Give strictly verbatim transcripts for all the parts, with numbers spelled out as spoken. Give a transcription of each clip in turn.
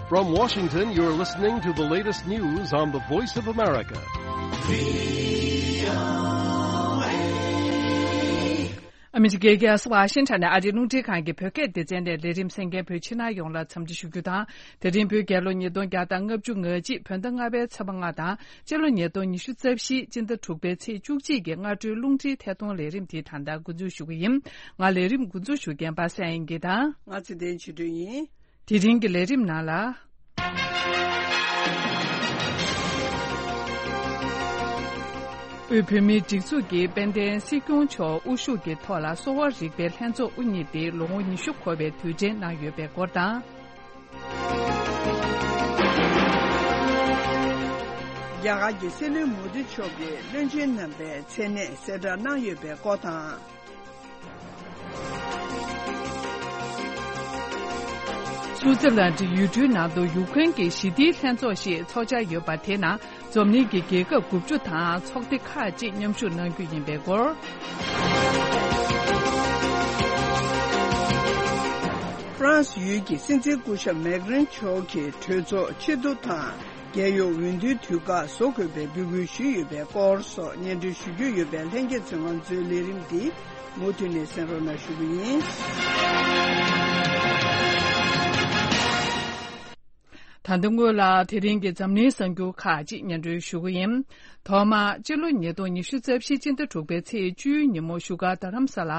From Washington, you're listening to the latest news on the Voice of America. ཨ་མི་རི་ཀའི་རྒྱལ་ས་ཝ་ཤིང་ཊོན་ནས་ཨ་རིའི་རླུང་འཕྲིན་ཁང་གི་བོད་སྐད་སྡེ་ཚན་ནས་ལས་རིམ་གསན་མཁན་བོད་ཕྱི་ནང་ཡོངས་ལ་འཚམས་འདྲི་ཞུ་རྒྱུ་དང་། དེ་རིང་བོད་རྒྱལ་ལོ་ཉིས་སྟོང་བརྒྱ་དང་ལྔ་བཅུ་ང་གཅིག་བོད་ཟླ་ལྔ་པའི་ཚེས་པ་ལྔ་དང་། སྤྱི་ལོ་ཉིས་སྟོང་ཉི་ཤུ་རྩ་བཞི་སྤྱི་ཟླ་དྲུག་པའི་ཚེས་བཅུ་གཅིག་གི་སྔ་དྲོའི་རླུང་འཕྲིན་ཐད་གཏོང་ལས་རིམ་དེ་ད་ལྟ་འགོ་འཛུགས་ཞུ་གི་ཡིན། ང་ལས་རིམ་འགོ་འཛུགས་ཞུ་མཁན་པ་སངས་དབྱངས་སྐྱིད་དང་། ང་ཚེ་བརྟན་ཆོས་སྒྲོན་ཡིན། དེ་རིང་གི་ལས་རིམ་ནང་ལ། དབུས་བོད་མིའི་སྒྲིག་འཛུགས་ཀྱི་དཔལ་ལྡན་སྲིད་སྐྱོང་མཆོག་དབུ་བཞུགས་ཀྱི་ཐོག་ལ་གསོ་བ་རིག་པའི་ལྷན་ཚོགས་དབུ་བརྙེས་ཏེ་ལོ་ངོ་ཉི་ཤུ་འཁོར་བའི་དུས་དྲན་གནང་ཡོད་པའི་སྐོར་དང་། རྒྱ་གར་གྱི་སྲིད་བློན་མོ་དི་མཆོག་གིས་བློན་ཆེན་རྣམ་པའི་མཚན་གནས་གསལ་བསྒྲགས་གནང་ཡོད་པའི་སྐོར་དང་། སུའུ་ཙི་ལན་ཌི་ཡུལ་གྲུའི་ནང་དུ་ཡུཀ་རེན་གྱི་ཞི་བདེའི་ལྷན་ཚོགས་ཤིག་འཚོགས་འཆར་ཡོད་པ་དེ་ནང་འཛམ་གླིང་གི་རྒྱལ་ཁབ་དགུ་བཅུ་དང་ཚོགས་སྡེ་ཁག་ཅིག་མཉམ་ཞུགས་གནང་རྒྱུ་ཡིན་པའི་སྐོར། ཧྥ་རན་སི་ཡུལ་གྱི་སྲིད་འཛིན་སྐུ་ཞབས་མེག་རན་མཆོག་གིས་གྲོས་ཚོགས་ཕྱིར་བསྡུ་དང་། རྒྱལ་ཡོངས་འོས་བསྡུའི་དུས་བཀག་བཟོ་དགོས་པའི་འབོད་སྐུལ་ཞུས་ཡོད་པའི་སྐོར་སོགས་སྙན་སྒྲོན་ཞུ་རྒྱུ་ཡོད་པའི་ལྷན་རྒྱས་ཚོས་ང་ཚོའི་ལས་རིམ་འདི་མུ་མཐུད་ནས་གསན་རོགས་གནང་ཞུ་གི་ཡིན། ད་ལྟ་སྔོན་ལ་དེ་རིང་གི་འཛམ་གླིང་གསར་འགྱུར་ཁག་ཅིག་སྙན་སྒྲོན་ཞུ་གི་ཡིན། ཐོག་མར་སྤྱི་ལོ་ཉིས་སྟོང་ཉི་ཤུ་རྩ་བཞི་སྤྱི་ཟླ་དྲུག་པའི་ཚེས་བཅུའི་ཉིན་མོ་བཞུགས་སྒར་རྡ་རམ་ས་ལ་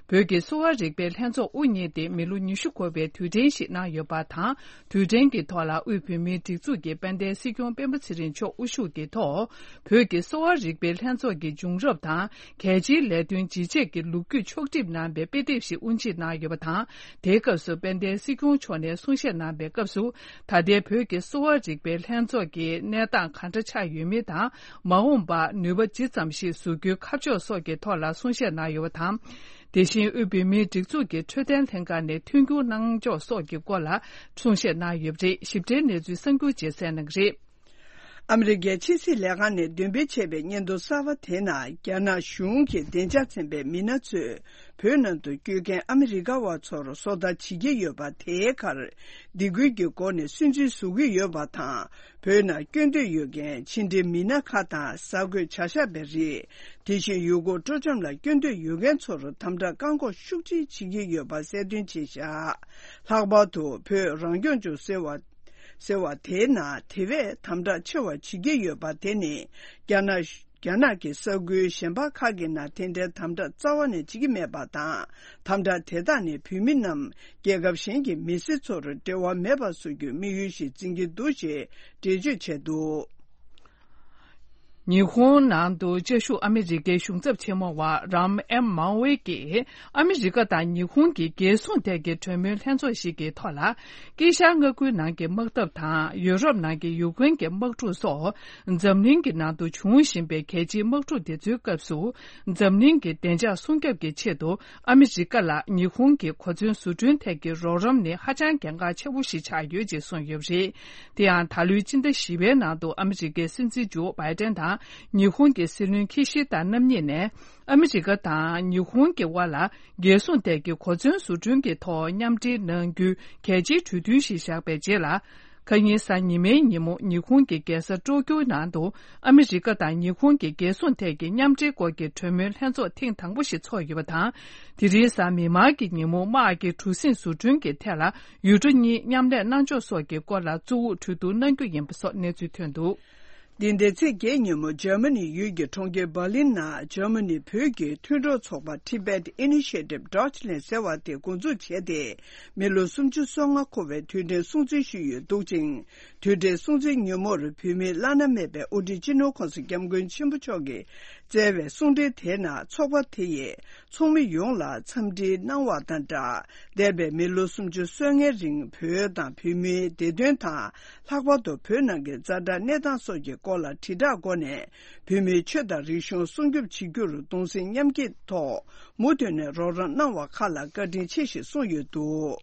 བོད་ཀྱི་གསོ་བ་རིག་པའི་ལྷན་ཚོགས་དབུ་བརྙེས་ཏེ་མི་ལོ་ཉི་ཤུ་འཁོར་བའི་དུས་དྲན་ཞིག་གནང་ཡོད་པ་དང་། དུས་དྲན་གྱི་ཐོག་ལ་དབུས་བོད་མིའི་སྒྲིག་འཛུགས་ཀྱི་དཔལ་ལྡན་སྲིད་སྐྱོང་སྤེན་པ་ཚེ་རིང་མཆོག་དབུ་བཞུགས་ཀྱི་ཐོག་བོད་ཀྱི་གསོ་བ་རིག་པའི་ལྷན་ཚོགས་ཀྱི་བྱུང་རབས་དང་། གལ་ཆེའི་ལས་དོན་ཇི་བྱེད་ཀྱི་ལོ་རྒྱུས་ཕྱོགས་བསྒྲིགས་གནང་བའི་དཔེ་དེབ་ཞིག་དབུ་འབྱེད་གནང་ཡོད་པ་དང་། དེའི་སྐབས་སུ་དཔལ་ལྡན་སྲིད་སྐྱོང་མཆོག་ནས་གསུང་བཤད་གནང་བའི་སྐབས་སུ། ད་ལྟའི་བོད་ཀྱི་གསོ་བ་རིག་པའི་ལྷན་ཚོགས་ཀྱི་གནས་སྟངས་ག་འདྲ་ཆགས་ཡོད་མེད་དང་། མ་འོངས་པར་ནུས་པ་ཇི་ཙམ་ཞིག་བཟོ་རྒྱུའི་ཁ་ཕྱོགས་སོགས་ཀྱི་ཐོག་ལ་གསུང་བཤད་གནང་ཡོད་པ་དང་། དེ་བཞིན་དབུས་བོད་མིའི་སྒྲིག་འཛུགས་ཀྱི་འཕྲོད་བསྟེན་ལྷན་ཁང་ནས་མཐུན་འགྱུར་གནང་ཕྱོགས་སོགས་ཀྱི་སྐོར་ལ་གསུང་བཤད་གནང་ཡོད་པ་རེད། ཞིབ་ཕྲའི་གནས་ཚུལ་གསར་འགྱུར་རྗེས་གསན་གནང་གི་རེད། ཨ་མི་རི་ཀའི་ཕྱི་སྲིད་ལས་ཁང་ནས་འདོན་སྤེལ་བྱས་པའི་སྙན་ཐོ་གསར་པ་དེ་ནང་། རྒྱ་ནག་གཞུང་གི་བདེ་འཇགས་ཚན་པའི་མི་སྣ་ཚོས་བོད་ནང་དུ་སྐྱོད་མཁན་ཨ་མི་རི་ཀ་བ་ཚོར་སོ་ལྟ་བྱེད་ཀྱི་ཡོད་པ་དེའི་ཁར། སྡིགས་སྐུལ་གྱི་སྒོ་ནས་སུན་གཙེར་བཟོ་གི་ཡོད་པ་དང་། བོད་ནང་སྐྱོད་འདོད་ཡོད་མཁན་ཕྱི་འབྲེལ་མི་སྣ་ཁག་དང་གསར་འགོད་བྱ་བཞག་པ་རེད། དེ་བཞིན་ཡུལ་སྐོར་སྤྲོ་འཆམ་ལ་སྐྱོད་འདོད་ཡོད་མཁན་ཚོར་དམ་དྲག་བཀག་འགོག་ཤུགས་ཆེ་བྱེད་ཀྱི་ཡོད་པ་གསལ་སྟོན་བྱས་བཞག་ལྷག་པར་དུ་བོད་རང་སྐྱོང་ལྗོངས་ཟེར་བ། ཟེར་བ་དེའི་ནང་དེ་བས་དམ་དྲག་ཆེ་བ་བྱེད་ཀྱི་ཡོད་པ་དེ་ནི། རྒྱ་ནག་རྒྱ་ནག་གི་ས་ཁུལ་གཞན་པ་ཁག་གི་ནང་དེ་འདྲའི་དམ་དྲག་རྩ་བ་ནས་བྱེད་ཀྱི་མེད་པ་དང་། དམ་དྲག་དེ་དག་ནི་བོད་མི་རྣམས་རྒྱལ་ཁབ་གཞན་གྱི་མི་སེར་ཚོར་འབྲེལ་བ་མེད་པར་བཟོ་རྒྱུའི་དམིགས་ཡུལ་ཞིག་འཛིན་གྱི་འདུག་ཅེས་འགྲེལ་བརྗོད་བྱས་འདུག་ཉི་ཧོང་ནང་དུ་བཅའ་བཞུགས་ཨ་མི་རི་ཀའི་གཞུང་ཚབ་ཆེན་མོ་བ་རམ་ཨེམ་མའོ་ཝེ་གིས། ཨ་མི་རི་ཀ་དང་ཉི་ཧོང་གི་རྒྱལ་སྲུང་ཐད་ཀྱི་གྲོས་མོལ་ལྷན་ཚོགས་ཤིག་གི་ཐོག་ལ། དཀྱིལ་ཤར་མངའ་ཁུལ་ནང་གི་དམག་འཐབ་དང་། ཡུ་རོབ་ནང་གི་ཡུཀ་རེན་གྱི་དམག་འཁྲུག་སོགས། འཛམ་གླིང་གི་ནང་དུ་འབྱུང་བཞིན་པའི་གལ་ཆེའི་དམག་འཁྲུག་དེ་ཚོའི་སྐབས་སུ། འཛམ་གླིང་གི་བདེ་འཇགས་སྲུང་སྐྱོབ་ཀྱི་ཆེད་དུ། ཨ་མི་རི་ཀ་ལ་ཉི་ཧོང་གི་གོ་མཚོན་བཟོ་སྐྲུན་ཐད་ཀྱི་རོགས་རམ་ནི་ཧ་ཅང་གལ་འགངས་ཆེ་བོ་ཞིག་ཆགས་ཡོད་ཅེས་གསུངས་ཡོད་པ་རེད། དེ་ཡང་ད་ལོའི་སྤྱི་ཟླ་བཞི་པའི་ནང་དུ་ཨ་མི་རི་ཀའི་སྲིད་འཛིན་ཇོ་བྷའི་ཏན་དང་ཉི་ཧོང་གི་སྲིད་བློན་ཁི་ཤི་ད་རྣམ་གཉིས་ནས། ཨ་མི་རི་ཀ་དང་ཉི་ཧོང་གི་དབར་ལ་རྒྱལ་སྲུང་ཐད་ཀྱི་གོ་མཚོན་བཟོ་སྐྲུན་གྱི་ཐོག་མཉམ་འབྲེལ་གནང་རྒྱུའི་གལ་ཆེའི་གྲོས་མཐུན་ཞིག་བཞག་པའི་རྗེས་ལ། ཁ་ཉིན་གཟའ་ཉི་མའི་ཉིན་མོ་ཉི་ཧོང་གི་རྒྱལ་ས་ཀྲོ་ཀྱོའི་ནང་དུ་ཨ་མི་རི་ཀ་དང་ཉི་ཧོང་གི་རྒྱལ་སྲུང་ཐད་ཀྱི་མཉམ་འབྲེལ་སྐོར་གྱི་གྲོས་མོལ་ལྷན་ཚོགས་ཐེངས་དང་པོ་ཞིག་ཚོགས་ཡོད་པ་དང་། དེ་རིང་གཟའ་མིག་དམར་གྱི་ཉིན་མོ་དམག་གི་གྲུ་གཟིངས་བཟོ་སྐྲུན་གྱི་ཐད་ལ་ཡུལ་གྲུ་གཉིས་མཉམ་ལས་གནང་ཕྱོགས་སོགས་ཀྱི་སྐོར་ལ་གཙོ་བོ་གྲོས་བསྡུར་གནང་རྒྱུ་ཡིན་པ་སོགས་གནས་ཚུལ་ཐོན་འདུག་འདི་ཟླའི་ཚེས་བརྒྱད་ཉིན་མོ་འཇར་མ་ནི་ཡུལ་གྱི་གྲོང་ཁྱེར་འབར་ལིན་ནང་འཇར་མ་ནི་བོད་ཀྱི་མཐུན་གྲོགས་ཚོགས་པ་Tibet Initiative Deutschland ཟེར་བ་དེ་འགོ་འཛུགས་བྱས་ཏེ། མི་ལོ་སུམ་ཅུ་སོ་ལྔ་འཁོར་བའི་དུས་དྲན་སྲུང་བརྩི་ཞུས་ཡོད་འདུག་ཅིང་། དུས་དྲན་སྲུང་བརྩི་ཉིན་མོར་བོད་མིའི་བླ་ན་མེད་པའི་དབུ་ཁྲིད་སྤྱི་ནོར་༸གོང་ས་༸སྐྱབས་མགོན་ཆེན་པོ་མཆོག་གིས་བསྩལ་བའི་གསུང་འཕྲིན་དེའི་ནང་ཚོགས་པ་དེ་ཡིས། ཚོགས་མི་ཡོངས་ལ་འཚམས་འདྲི་གནང་བ་དང་སྦྲགས། འདས་པའི་མི་ལོ་སུམ་ཅུ་སོ་ལྔའི་རིང་བོད་དང་བོད་མིའི་བདེ་དོན་དང་། ལྷག་པར་དུ་བོད་ནང་གི་ཛ་དྲག་གནས་སྟངས་སོགས་ཀྱི་སྐོར་ལ་དྲིལ་བསྒྲགས་སྒོ་ནས། བོད་མིའི་ཆོས་དང་རིག་གཞུང་སྲུང་སྐྱོབ་བྱེད་རྒྱུར་གདུང་སེམས་མཉམ་སྐྱེད་ཐོག་མུ་མཐུད་ནས་རོགས་རམ་གནང་བ་ཁག་ལ་བཀའ་དྲིན་ཆེ་ཞེས་གསུངས་ཡོད་འདུག་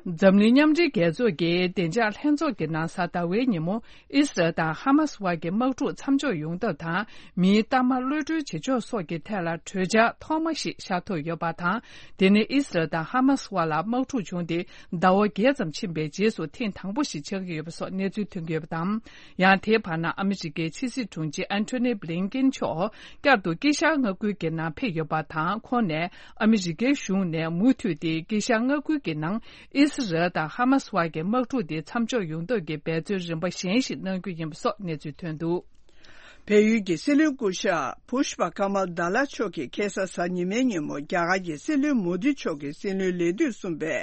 འཛམ་གླིང་མཉམ་འབྲེལ་རྒྱལ་ཚོགས་ཀྱི་བདེ་འཇགས་ལྷན་ཚོགས་ཀྱི་ནང་གཟའ་ཟླ་བའི་ཉིན་མོ། ཨི་སི་རལ་དང་ཧ་མ་སི་དབར་གྱི་དམག་འཁྲུག་མཚམས་འཇོག་ཡོང་ཐབས་དང་། མིའི་གཏའ་མ་གློད་གྲོལ་བྱེད་ཕྱོགས་སོགས་ཀྱི་ཐད་ལ་གྲོས་འཆར་ཐོག་མ་ཞིག་ཤར་ཐུབ་ཡོད་པ་དང་། དེ་ནི་ཨི་སི་རལ་དང་ཧ་མ་སི་དབར་ལ་དམག་འཁྲུག་བྱུང་སྟེ་ཟླ་བ་བརྒྱད་ཙམ་ཕྱིན་པའི་རྗེས་སུ་ཐེངས་དང་པོ་ཞིག་ཆགས་ཀྱི་ཡོད་པ་སོགས་གནས་ཚུལ་ཐོན་གྱི་ཡོད་པ་དང་། ཡང་དེའི་བར་ན་ཨ་མི་རི་ཀའི་ཕྱི་སྲིད་དྲུང་ཆེ་ཨན་ཐོ་ནི་བྷི་ལིན་ཀིན་མཆོག་བསྐྱར་དུ་དཀྱིལ་ཤར་མངའ་ཁུལ་གྱི་ནང་ཕེབས་ཡོད་པ་དང་། ཁོང་ནས་ཨ་མི་རི་ཀའི་གཞུང་ནས་མུ་མཐུད་དེ་དཀྱིལ་ཤར་མངའ་ཁུལ་གྱི་ནང་ཨི་སི་རལ་དང་ཧ་མ་སི་དབར་གྱི་དམག་འཁྲུག་དེ་མཚམས་འཇོག་ཡོང་ཐབས་ཀྱི་འབད་བརྩོན་རིམ་པ་གཞན་ཞིག་གནང་རྒྱུ་ཡིན་པ་སོགས་གནས་ཚུལ་ཐོན་འདུག། བལ་ཡུལ་གྱི་སྲིད་བློན་སྐུ་ཞབས་བྷུཤ་པ་ཀ་མལ་དཱ་ལ་མཆོག་གིས་ཁ་སང་གཟའ་ཉི་མའི་ཉིན་མོ་རྒྱ་གར་གྱི་སྲིད་བློན་མོ་དི་མཆོག་གི་སྲིད་བློན་ལས་དུས་གསུམ་པའི་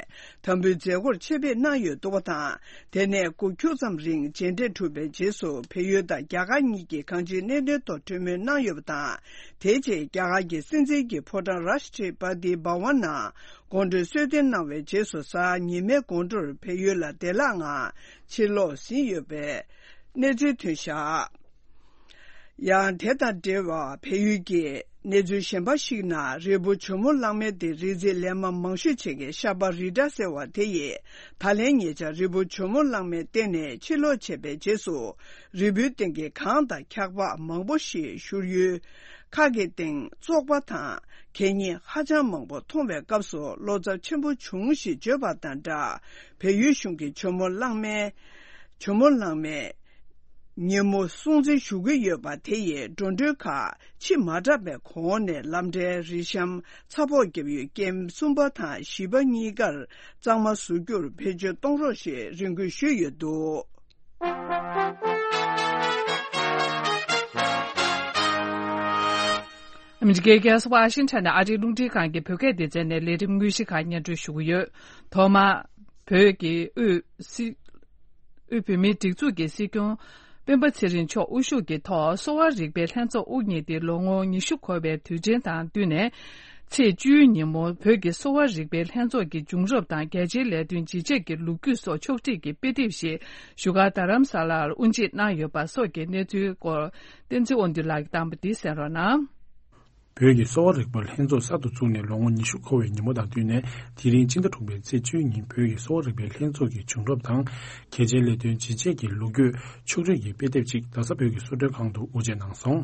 དམ་འབུལ་མཛད་སྒོར་ཆེད་ཕེབས་གནང་ཡོད་འདུག་པ་དང་། དེ་ནས་འགོ་ཁྱུག་ཙམ་རིང་མཇལ་འཕྲད་གྲུབ་པའི་རྗེས་སུ་བལ་ཡུལ་དང་རྒྱ་གར་གཉིས་ཀྱི་གང་ཅིའི་གནད་དོན་ཐོག་གྲོས་མོལ་གནང་ཡོད་པ་དང་། དེའི་རྗེས་རྒྱ་གར་གྱི་སྲིད་འཛིན་གྱི་ཕོ་བྲང་རཱཤ་ཊི་པ་ཏི་བྷ་ཝན་ནང་དགོང་དྲོའི་གསོལ་སྟོན་གནང་བའི་རྗེས་སུ་གཟའ་ཉི་མའི་དགོང་དྲོར་བལ་ཡུལ་ལ་བདེ་བླག་ངང་ཕྱིར་ལོག་ཟིན་ཡོད་པའི་གནས་ཚུལ་ཐོན་བཞག། ཡང་དེ་དང་འབྲེལ་བར་བལ་ཡུལ་གྱི་གནས་ཚུལ་གཞན་པ་ཞིག་ནང་རི་བོ་ཇོ་མོ་གླང་མའི་སྟེང་རི་འཛེག་ལན་མང་ཤོས་བྱེད་མཁན་ཤ་པ་རི་ཏྲ་ཟེར་བ་དེ་ཡིས་ད་ལན་ཉེ་ཆར་རི་བོ་ཇོ་མོ་གླང་མའི་སྟེང་ནས་ཕྱིར་ལོག་བྱས་པའི་རྗེས་སུ། རི་བོའི་སྟེང་གི་གངས་དང་འཁྱག་པ་མང་པོ་ཞིག་བཞུར་ཡུལ་ཁག་གི་སྟེང་བཙོག་པ་དང་གད་སྙིགས་ཧ་ཅང་མང་པོ་མཐོང་བའི་སྐབས་སུ་བློ་འཚབ་ཆེན་པོ་བྱུང་ཞེས་བརྗོད་པ་དང་སྦྲགས། བལ་ཡུལ་གཞུང་གིས་ཇོ་མོ་གླང་མའི་ཇོ་མོ་གླང་མའི་ཉིན་མོ་སྲུང་བརྩི་ཞུ་གི་ཡོད་པ་དེ་ཡིས་འགྲོ་གྲོན་ཁག་ཕྱིར་མ་དྲགས་པའི་གོང་ནས་ལམ་འཕྲལ་རི་གཤམ་ཚ་ཕོགས་བརྒྱབ་ཡུལ་ཀེམ་གསུམ་པ་དང་བཞི་པ་གཉིས་ཀར་གཙང་མ་བཟོ་རྒྱུར་བེད་སྤྱོད་གཏོང་རོགས་ཞེས་རེ་སྐུལ་ཞུས་ཡོད་འདུག། ཨ་མི་རི་ཀའི་རྒྱལ་ས་ཝ་ཤིང་ཊོན་ནས་ཨ་རིའི་རླུང་འཕྲིན་ཁང་གི་བོད་སྐད་སྡེ་ཚན་ནས་ལས་རིམ་དངོས་གཞི་ཁག་སྙན་སྒྲོན་ཞུ་གི་ཡོད། ཐོག་མར། བོད་ཀྱི་དབུས་སྲིད། དབུས་བོད་མིའི་སྒྲིག་འཛུགས་ཀྱི་སྲིད་སྐྱོང་སྤེན་པ་ཚེ་རིང་མཆོག་དབུ་བཞུགས་ཀྱི་ཐོག་གསོ་བ་རིག་པའི་ལྷན་ཚོགས་དབུ་བརྙེས་ཏེ་ལོ་ངོ་ཉི་ཤུ་འཁོར་བའི་དུས་ཆེན་དང་བསྟུན་ནས། ཚེས་བཅུའི་ཉིན་མོ་བོད་ཀྱི་གསོ་བ་རིག་པའི་ལྷན་ཚོགས་ཀྱི་བྱུང་རབས་དང་རྒྱ་ཆེའི་ལས་དོན་ཇི་བྱས་ཀྱི་ལོ་རྒྱུས་སོགས་ཕྱོགས་སྒྲིག་གི་དཔེ་དེབ་ཞིག་བཞུགས་སྒར་རྡ་རམ་ས་ལར་དབུ་འབྱེད་གནང་ཡོད་པ་སོགས་ཀྱི་གནས་ཚུལ་སྐོར་བསྟན་འཛིན་དབང་འདུས་ལགས་ཀྱིས་བཏང་བ་འདི་གསན་རོགས་གནང་། བོད་ཀྱི་གསོ་བ་རིག་པ་ལྷན་ཚོགས་གསར་དུ་བཙུགས་ནས་ལོ་ངོ་ཉི་ཤུ་འཁོར་བའི་ཉིན་མོ་དང་བསྟུན་ནས། དེ་རིང་སྤྱི་ཟླ་དྲུག་པའི་ཚེས་བཅུའི་ཉིན་བོད་ཀྱི་གསོ་བ་རིག་པའི་ལྷན་ཚོགས་ཀྱི་བྱུང་རབས་དང་། གལ་ཆེའི་ལས་དོན་ཇི་བྱས་ཀྱི་ལོ་རྒྱུས་ཕྱོགས་བསྒྲིགས་ཀྱི་དཔེ་དེབ་ཅིག་རྡ་ས་བོད་ཀྱི་གསོལ་མགྲོན་ཁང་དུ་དབུ་འབྱེད་གནང་སོང་།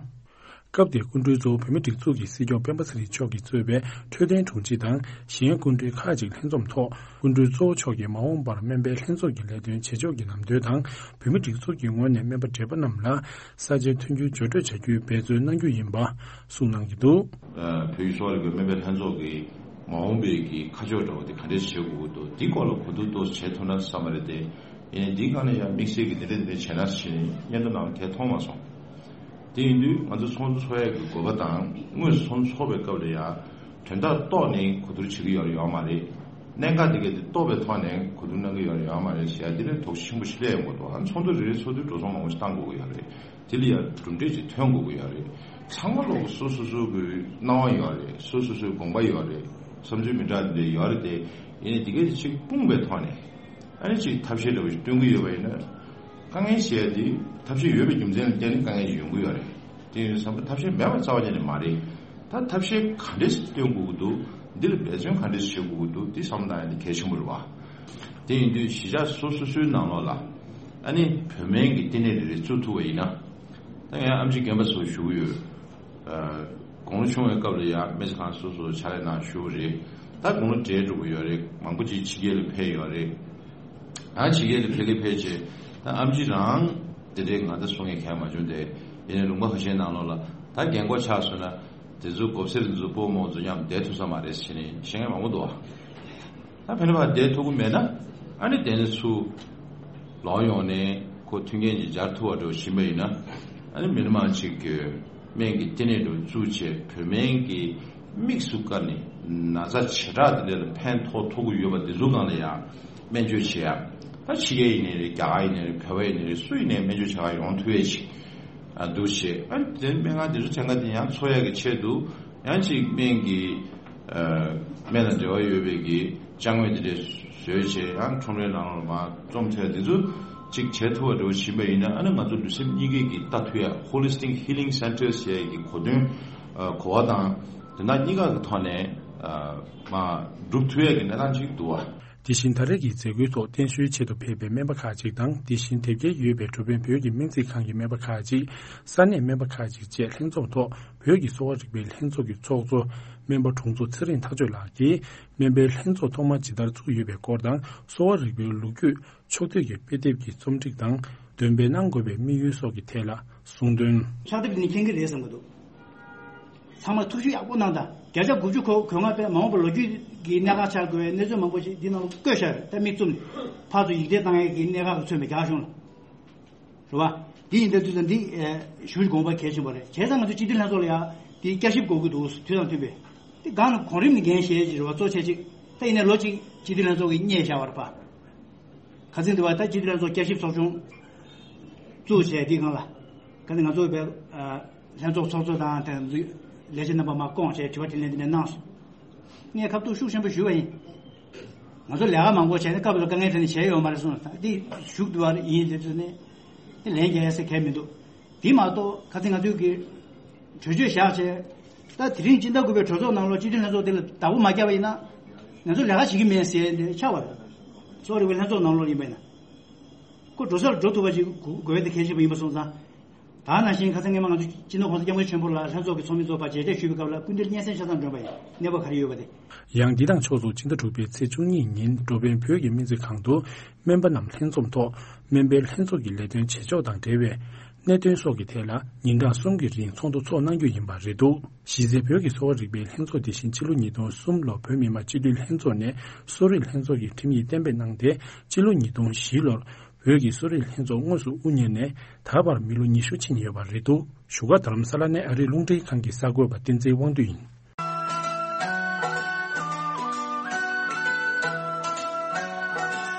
སྐབས་དེར་སྐུ་མགྲོན་གཙོ་བོ་བོད་མིའི་སྒྲིག་འཛུགས་ཀྱི་སྲིད་སྐྱོང་སྤེན་པ་ཚེ་རིང་མཆོག་གིས་གཙོས་པའི་འཕྲོད་བསྟེན་དྲུང་ཆེ་དང་གཞན་སྐུ་མགྲོན་ཁག་ཅིག་ལྷན་འཛོམས་ཐོག་སྐུ་མགྲོན་གཙོ་བོ་མཆོག་གིས་མ་འོངས་པར་སྨན་པའི་ལྷན་ཚོགས་ཀྱི་ལས་དོན་བྱེད་ཕྱོགས་ཀྱི་ལམ་སྟོན་དང་། བོད་མིའི་སྒྲིག་འཛུགས་ཀྱི་ངོས་ནས་སྨན་པ་བགྲེས་པ་རྣམས་ལ་ས་ཆའི་མཐུན་འགྱུར་སྦྱོར་སྤྲོད་བྱ་རྒྱུའི་འབད་བརྩོན་གནང་རྒྱུ་ཡིན་པ་གསུངས་གནང་གི་འདུག། ཨ། བོད་ཀྱི་གསོ་བ་རིག་པའི་སྨན་པའི་ལྷན་ཚོགས་ཀྱི་མ་འོངས་པའི་གི་ཁ་ཕྱོགས་འདྲ་བོ་དེ་ག་འདྲས་བྱེད་དགོས་ཀྱི་འདུག། འདི་སྐོར་ལ་གོ་བསྡུར་ཏོག་ཙམ་བྱེད་ཐུབ་ན་བསམ་པ་རེད་དེ། ཡིན་ནའི་འདིའི་སྒང་ལ་ཡང་དམིགས་བསལ་གྱི་འདི་འདྲས་འདི་འདྲས་བྱས་ན་ཟེར་ནས་སྙན་ཐོ་ནང་ལ་དེ་མཐོང་མ་སོང་། དེ་ཡིན་དུས་ང་ཚོ་ཚོགས་འདུ་ཚོགས་ཡས་ཀྱི་དགོས་པ་དང་། དངོས་སུ་ཚོགས་འདུ་ཚོགས་པའི་སྐབས་ལ་ཡང་དོན་དག་རྟོགས་ནས་གོ་བསྡུར་བྱེད་ཀྱི་ཡོད་རེད་ཡོད་མ་རེད། གནད་འགག་དེ་གས་དེ་རྟོགས་པའི་ཐོག་ནས་གོ་བསྡུར་གནང་གི་ཡོད་རེད་ཡོད་མ་རེད་ཟེར་ཡ་འདི་ནས་དོགས་གཞི་ཆེན་པོ་ཞིག་སླེབས་ཡོང་གི་འདུག། ཨ། ཚོགས་འདུ་རེ་རེ་ཚོགས་དུས་འགྲོ་སོང་མང་པོ་ཞིག་བཏང་དགོས་ཀྱི་ཡོད་རེད། དེ་ལ་ཡང་གྲུབ་འབྲས་ཅིག་ཐོན་དགོས་ཀྱི་ཡོད་རེད། ཚང་མ་ལོག་སོ་སོ་སོ་གི་སྣང་བ་ཡོད་རེད། སོ་སོ་སོའི་དགོངས་པ་ཡོད་རེད། བསམ་ཚུལ་མི་འདྲ་འདི་འདྲ་ཡོད་རེད་དེ། ཡིན་ནའི་འདི་གས་དེ་ཅིག་སྤུངས་པའི་ཐོག་ནས། ཨ་ནི་ཅིག་ཐབས་ཤེས་འདྲ་བོ་ཞིག་སྟོན་གྱི་ཡོད་པ་ཡིན་ན། དཀའ་ངལ་ཞེས་ཡ་དེ་ཐབས་ཤེས་ཡོད་པའི་རྒྱུ་མཚན་ལ་བརྟེན་ནས་དཀའ་ངལ་ཞིག་ཡོང་གི་ཡོད་རེད། དེ་ཡིན་དུས་ཙམ་པ་ཐབས་ཤེས་མེད་པ་རྩ་བ་ཉིད་ནས་མ་རེད། ད་ཐབས་ཤེས་ག་འདྲས་སྟོན་དགོས་ཀྱི་འདུག། འདི་ལ་འབད་བརྩོན་ག་འདྲས་བྱེད་དགོས་ཀྱི་འདུག། འདི་བསམ་བློ་བཏང་ཡ་འདི་གལ་ཆེན་པོ་རེད་བ། དེ་ཡིན་དུས་གཞིས་ཆགས་སོ་སོ་སོའི་ནང་ལོགས་ལ་ཨ་ནི་བོད་སྨན་གྱི་ལྟེ་གནས་རེ་རེ་བཙུགས་ཐུབ་པ་ཡིན་ན། ད་ངས་ཨེམ་ཆི་རྒན་པ་ཚོ་ཞུ་གི་ཡོད། ཨ། དགུང་ལོ་ཆུང་བའི་སྐབས་ལ་ཡང་སྨན་རྩིས་ཁང་སོ་སོར་ཕྱག་ལས་གནང་བཞུགས་པ་རེད། ད་དགུང་ལོ་བགྲེས་འགྲོ་གི་ཡོད་རེད། མང་པོ་ཅིག་ཕྱི་རྒྱལ་ལ་ཕེབས་ཡོད་རེད། ཨ། ཕྱི་རྒྱལ་ལ་ཕེབས་ལ་ཕེབས་བྱས་ད་ཨེམ་ཆི་རང་དེ་འདྲའི་ང་ད་གསུང་ཡས་གང་ཡང་མ་བྱུང་སྟེ། ཡིན་ནའི་ལུང་པ་ཁ་ཤས་ནང་ལོགས་ལ་ད་རྒན་གོག་ཆགས་སོང་ན་དེ་ཚོ་མགོ་སེར་དེ་ཚོ་སྤོ་རྨོ་ཚོ་མཉམ་བསྡད་ཐུབ་ས་མ་རེད་ཟེར་ནས་བཤད་མཁན་མང་པོ་འདུག་ཨ། ད་ཕན་པ་བསྡད་ཐུབ་ཀྱི་མེད་ན། ཨ་ནི་དེ་ནས་ཚུར་ལོག་ཡོང་ནས་ཁོ་མཐུན་རྐྱེན་ཅིག་སྦྱར་ཐུབ་པ་འདྲ་བོ་ཕྱིན་པ་ཡིན་ན། ཨ་ནི་མི་མང་ཅིག་གིས་སྨན་གྱི་ལྟེ་གནས་འདྲ་བོ་བཙུགས་བྱས་བོད་སྨན་གྱི་དམིགས་སུ་བཀར་ནས་ན་ཚ་བྱེ་བྲག་དེ་འདྲ་ལ་ཕན་ཐོགས་ཐུབ་ཀྱི་ཡོད་པ་དེ་ཚོ་སྒང་ལ་ཡང་སྨན་བཅོས་བྱེད་ཡ། ད་ཕྱི་རྒྱལ་ཡིན་ནའི་རེད། རྒྱ་གར་ཡིན་ནའི་རེད། བོད་པ་ཡིན་ནའི་རེད། སུ་ཡིན་ནའི་སྨན་བཅོས་བྱེད་ག་ཡོང་ཐུབ་ཡས་ཅིག་ཨ་འདུག་བྱས། ཨ་ནི་དེ་སྨན་ཁང་དེ་ཚོ་གྲངས་ཀ་དེ་ཡང་འཚོ་ཡ་གི་ཆེད་དུ། ཡང་ཅིག་སྨན་གྱི། ཨ། སྨན་དང་འབྲེལ་བ་ཡོད་པའི་གི་ཅ་དངོས་དེ་འདྲས་བཟོས་བྱས། ཡང་ཁྲོམ་རའི་ནང་ལ་མར་རྩོམ་ཐེངས་དེ་ཚོ་ཅིག་བྱེད་ཐུབ་པ་འདྲ་བོ་ཕྱིན་པ་ཡིན་ན། ཨ་ནི་ང་ཚོ་ལུས་སེམས་གཉིས་ཀའི་གི་ལྟ་ཐུབ་ཡ། Holistic Healing Centers ཟེར་ཡ་གི་གོ་དོན། ཨ། གོ་བ་དང་དོན་དག་གཉིས་ཀ་གི་ཐོག་ནས། ཨ། མར་སྒྲུབ་ཐུབ་ཡ་གི་གནས་སྟངས་ཅིག་འདུག་བ། དེ་བཞིན་ད་རེས་ཀྱི་མཛད་སྒོའི་ཐོག་བརྟན་བཞུགས་ཆེད་དུ་ཕེབས་པའི་སྨན་པ་ཁག་ཅིག་དང་། དེ་བཞིན་དེབ་སྐྱེལ་ཡོད་པའི་འགྲོ་ཕན་བོད་ཀྱི་སྨན་རྩིས་ཁང་གི་སྨན་པ་ཁག་ཅིག་ས་གནས་སྨན་པ་ཁག་ཅིག་བཅས་ལྷན་ཚོགས་ཐོག་བོད་ཀྱི་གསོ་བ་རིག་པའི་ལྷན་ཚོགས་ཀྱི་ཚོགས་གཙོ་སྨན་པ་དྲུང་འཚོ་ཚེ་རིང་ཐག་ཆོད་ལགས་ཀྱིས། སྨན་པའི་ལྷན་ཚོགས་ཐོག་མ་ཇི་ལྟར་བཙུགས་ཡོད་པའི་སྐོར་དང་། གསོ་བ་རིག་པའི་ལོ་རྒྱུས་ཕྱོགས་བསྡུས་ཀྱི་དཔེ་དེབ་ཀྱི་རྩོམ་སྒྲིག་དང་། འདོན་སྤེལ་གནང་དགོས་པའི་དམིགས་ཡུལ་སོགས་ཀྱི་ཐད་ལ་གསུངས་དོན། ཕྱག་དེབ་འདི་ནི་མཁྱེན་གྱི་རེད་བསམ་གྱི་འདུག་ཚང་མ་ཐུགས་ཞིབ་ཡག་པོ་གནང་དང་། བརྒྱ་ཆ་དགུ་བཅུ་གོ་གོ་ལྔ་པས་མ་འོངས་པར་ལོ་རྒྱུས་ཀྱི་གནད་འགག་ཆགས་དགོས་པའི་གནས་ཚུལ་མང་པོ་ཞིག་འདི་ནང་ལ་བཀོད་བཞག་ཡོད། ད་མིག་བཙུམ་ནས་ཕར་ཚུར་ཡིག་ཐེངས་བཏང་ཡས་ཀྱི་གནད་འགག་གི་མཚོན་པའི་རྒྱ་གཞུང་ལ། རེད་བ། འདི་ཡིན་དུས་ཙང་འདི་ཞུ་དགོངས་པ་གལ་ཆེན་པོ་རེད། བྱས་ཙང་ང་ཚོ་སྤྱི་འཐུས་ལྷན་ཚོགས་ལ་ཡང་འདི་བསྐྱར་ཞིབ་དགོས་ཀྱི་འདུག་དུས་དང་མཐུན་པའི། འདི་སྒང་ལ་གོང་རིམ་ནས་འགན་བཞེས་ཀྱི་རེད་བ། གཙོ་ཆེ་གཅིག་ད་ཡིན་ནའི་ལོ་གཅིག་སྤྱི་འཐུས་ལྷན་ཚོགས་ཀྱིས་བསྙད་བཞག་པ་རེད་པ། ཁ་སང་དུ་བ་ད་སྤྱི་འཐུས་ལྷན་ཚོགས་བསྐྱར་ཞིབ་ཚོགས་ཆུང་བཙུགས་བྱས། དེའི་སྒང་ལ་ཁ་སང་ང་ཚོ་བས་ལྷན་ཚོགས་ཚོགས་གཙོ་དང་དེ་ཚོའི་ལས་བྱེད་རྣམ་པ་མར་བསྐོངས་བྱས་དྲི་བ་དྲིས་ལན་དེ་འདྲ་གནང་སོང་། ངས་ཁ་ཐུག་ཤུགས་ཆེན་པོ་ཞུས་པ་ཡིན། ང་ཚོ་ལས་ཀ་མང་པོ་བྱས་ནས་སྐབས་ལ་དཀའ་ངལ་དེ་ནས་བྱས་ཡོད་མ་རེད་གསུངས། ད་འདི་ཞུགས་དུ་བ་ཡིན་དེ་ཚོ་ནས་དེ་ལན་རྒྱག་ཡ་ཟེར་གལ་མི་འདུག་དེ་མ་གཏོགས་ཁ་སང་ང་ཚོའི་གི་གྲོས་ཆོད་བཞག་བྱས། ད་དེ་རིང་སྤྱི་ཟླ་དགུ་པའི་གྲོས་ཚོགས་ནང་ལོགས་སྤྱི་འཐུས་ལྷན་ཚོགས་དེ་ལ་བདག་པོ་མ་བརྒྱབ་པ་ཡིན་ན། ང་ཚོ་ལས་ཀ་བྱེད་ཀྱི་མེད་ཟེར་ནས་ཆགས་པ་རེད། གཙོ་བོ་རེ་བའི་ལྷན་ཚོགས་ནང་ལོགས་ཡིན་པ་ཡིན་ན། ཁོ་འགྲོ་སར་འགྲོ་ཐུབ་པ་ཞིག་དགོས་པའི་དེ་གལ་ཆེན་པོ་ཡིན་པ་སོང་ཙང་། ད་ནང་བཞིན་ཁ་སང་སྔོན་མ་ང་ཚོ་སྤྱི་ནོར་༸གོང་ས་༸སྐྱབས་མགོན་ཆེན་པོ་ལ་ལྷན་ཚོགས་ཀྱི་ཚོགས་མི་ཚོ་ཕར་མཇལ་འཕྲད་ཞུས་པའི་སྐབས་ལ་སྐུ་མདུན་སྙན་སེང་ཆ་ཚང་བསྒྲོན་པ་ཡིན། གནས་བབ་ག་རེ་ཡོད་པ་དེ། ཡང་འདི་དང་ཕྱོགས་མཚུངས་སྤྱི་ཟླ་དྲུག་པའི་ཚེས་བཅུ་གཉིས་ཉིན་འགྲོ་ཕན་བོད་ཀྱི་སྨན་རྩིས་ཁང་དུ་སྨན་པ་རྣམས་ལྷན་འཛོམས་ཐོག་སྨན་པའི་ལྷན་ཚོགས་ཀྱི་ལས་དོན་བྱེད་ཕྱོགས་དང་འབྲེལ་བའི་གནད་དོན་སོགས་ཀྱི་ཐད་ལ་ཉིན་གྲངས་གསུམ་གྱི་རིང་ཚོགས་འདུ་འཚོགས་གནང་རྒྱུ་ཡིན་པ་རེད་འདུག་གཞི་རྩའི་བོད་ཀྱི་གསོ་བ་རིག་པའི་ལྷན་ཚོགས་དེ་བཞིན་ཕྱི་ལོ་ཉིས་སྟོང་གསུམ་ལོར་བོད་མི་མང་སྤྱི་འཐུས་ལྷན་ཚོགས་ནས་གསོ་རིག་ལྷན་ཚོགས་ཀྱི་ཁྲིམས་ཡིག་གཏན་འབེབས་གནང་སྟེ། ཕྱི་ལོ་ཉིས་སྟོང་བཞི་ལོར་བོད་ཀྱི་གསོ་རིག་ལྷན་ཚོགས་དངོས་སུ་དབུ་བརྙེས་ནས་ད་བར་མི་ལོ་ཉི་ཤུ་ཕྱིན་ཡོད་པ་རེད་འདུག་བཞུགས་སྒར་རྡ་རམ་ས་ལ་ནས་ཨ་རིའི་རླུང་འཕྲིན་ཁང་གི་གསར་འགོད་པ་བསྟན་འཛིན་དབང་འདུས་ཡིན།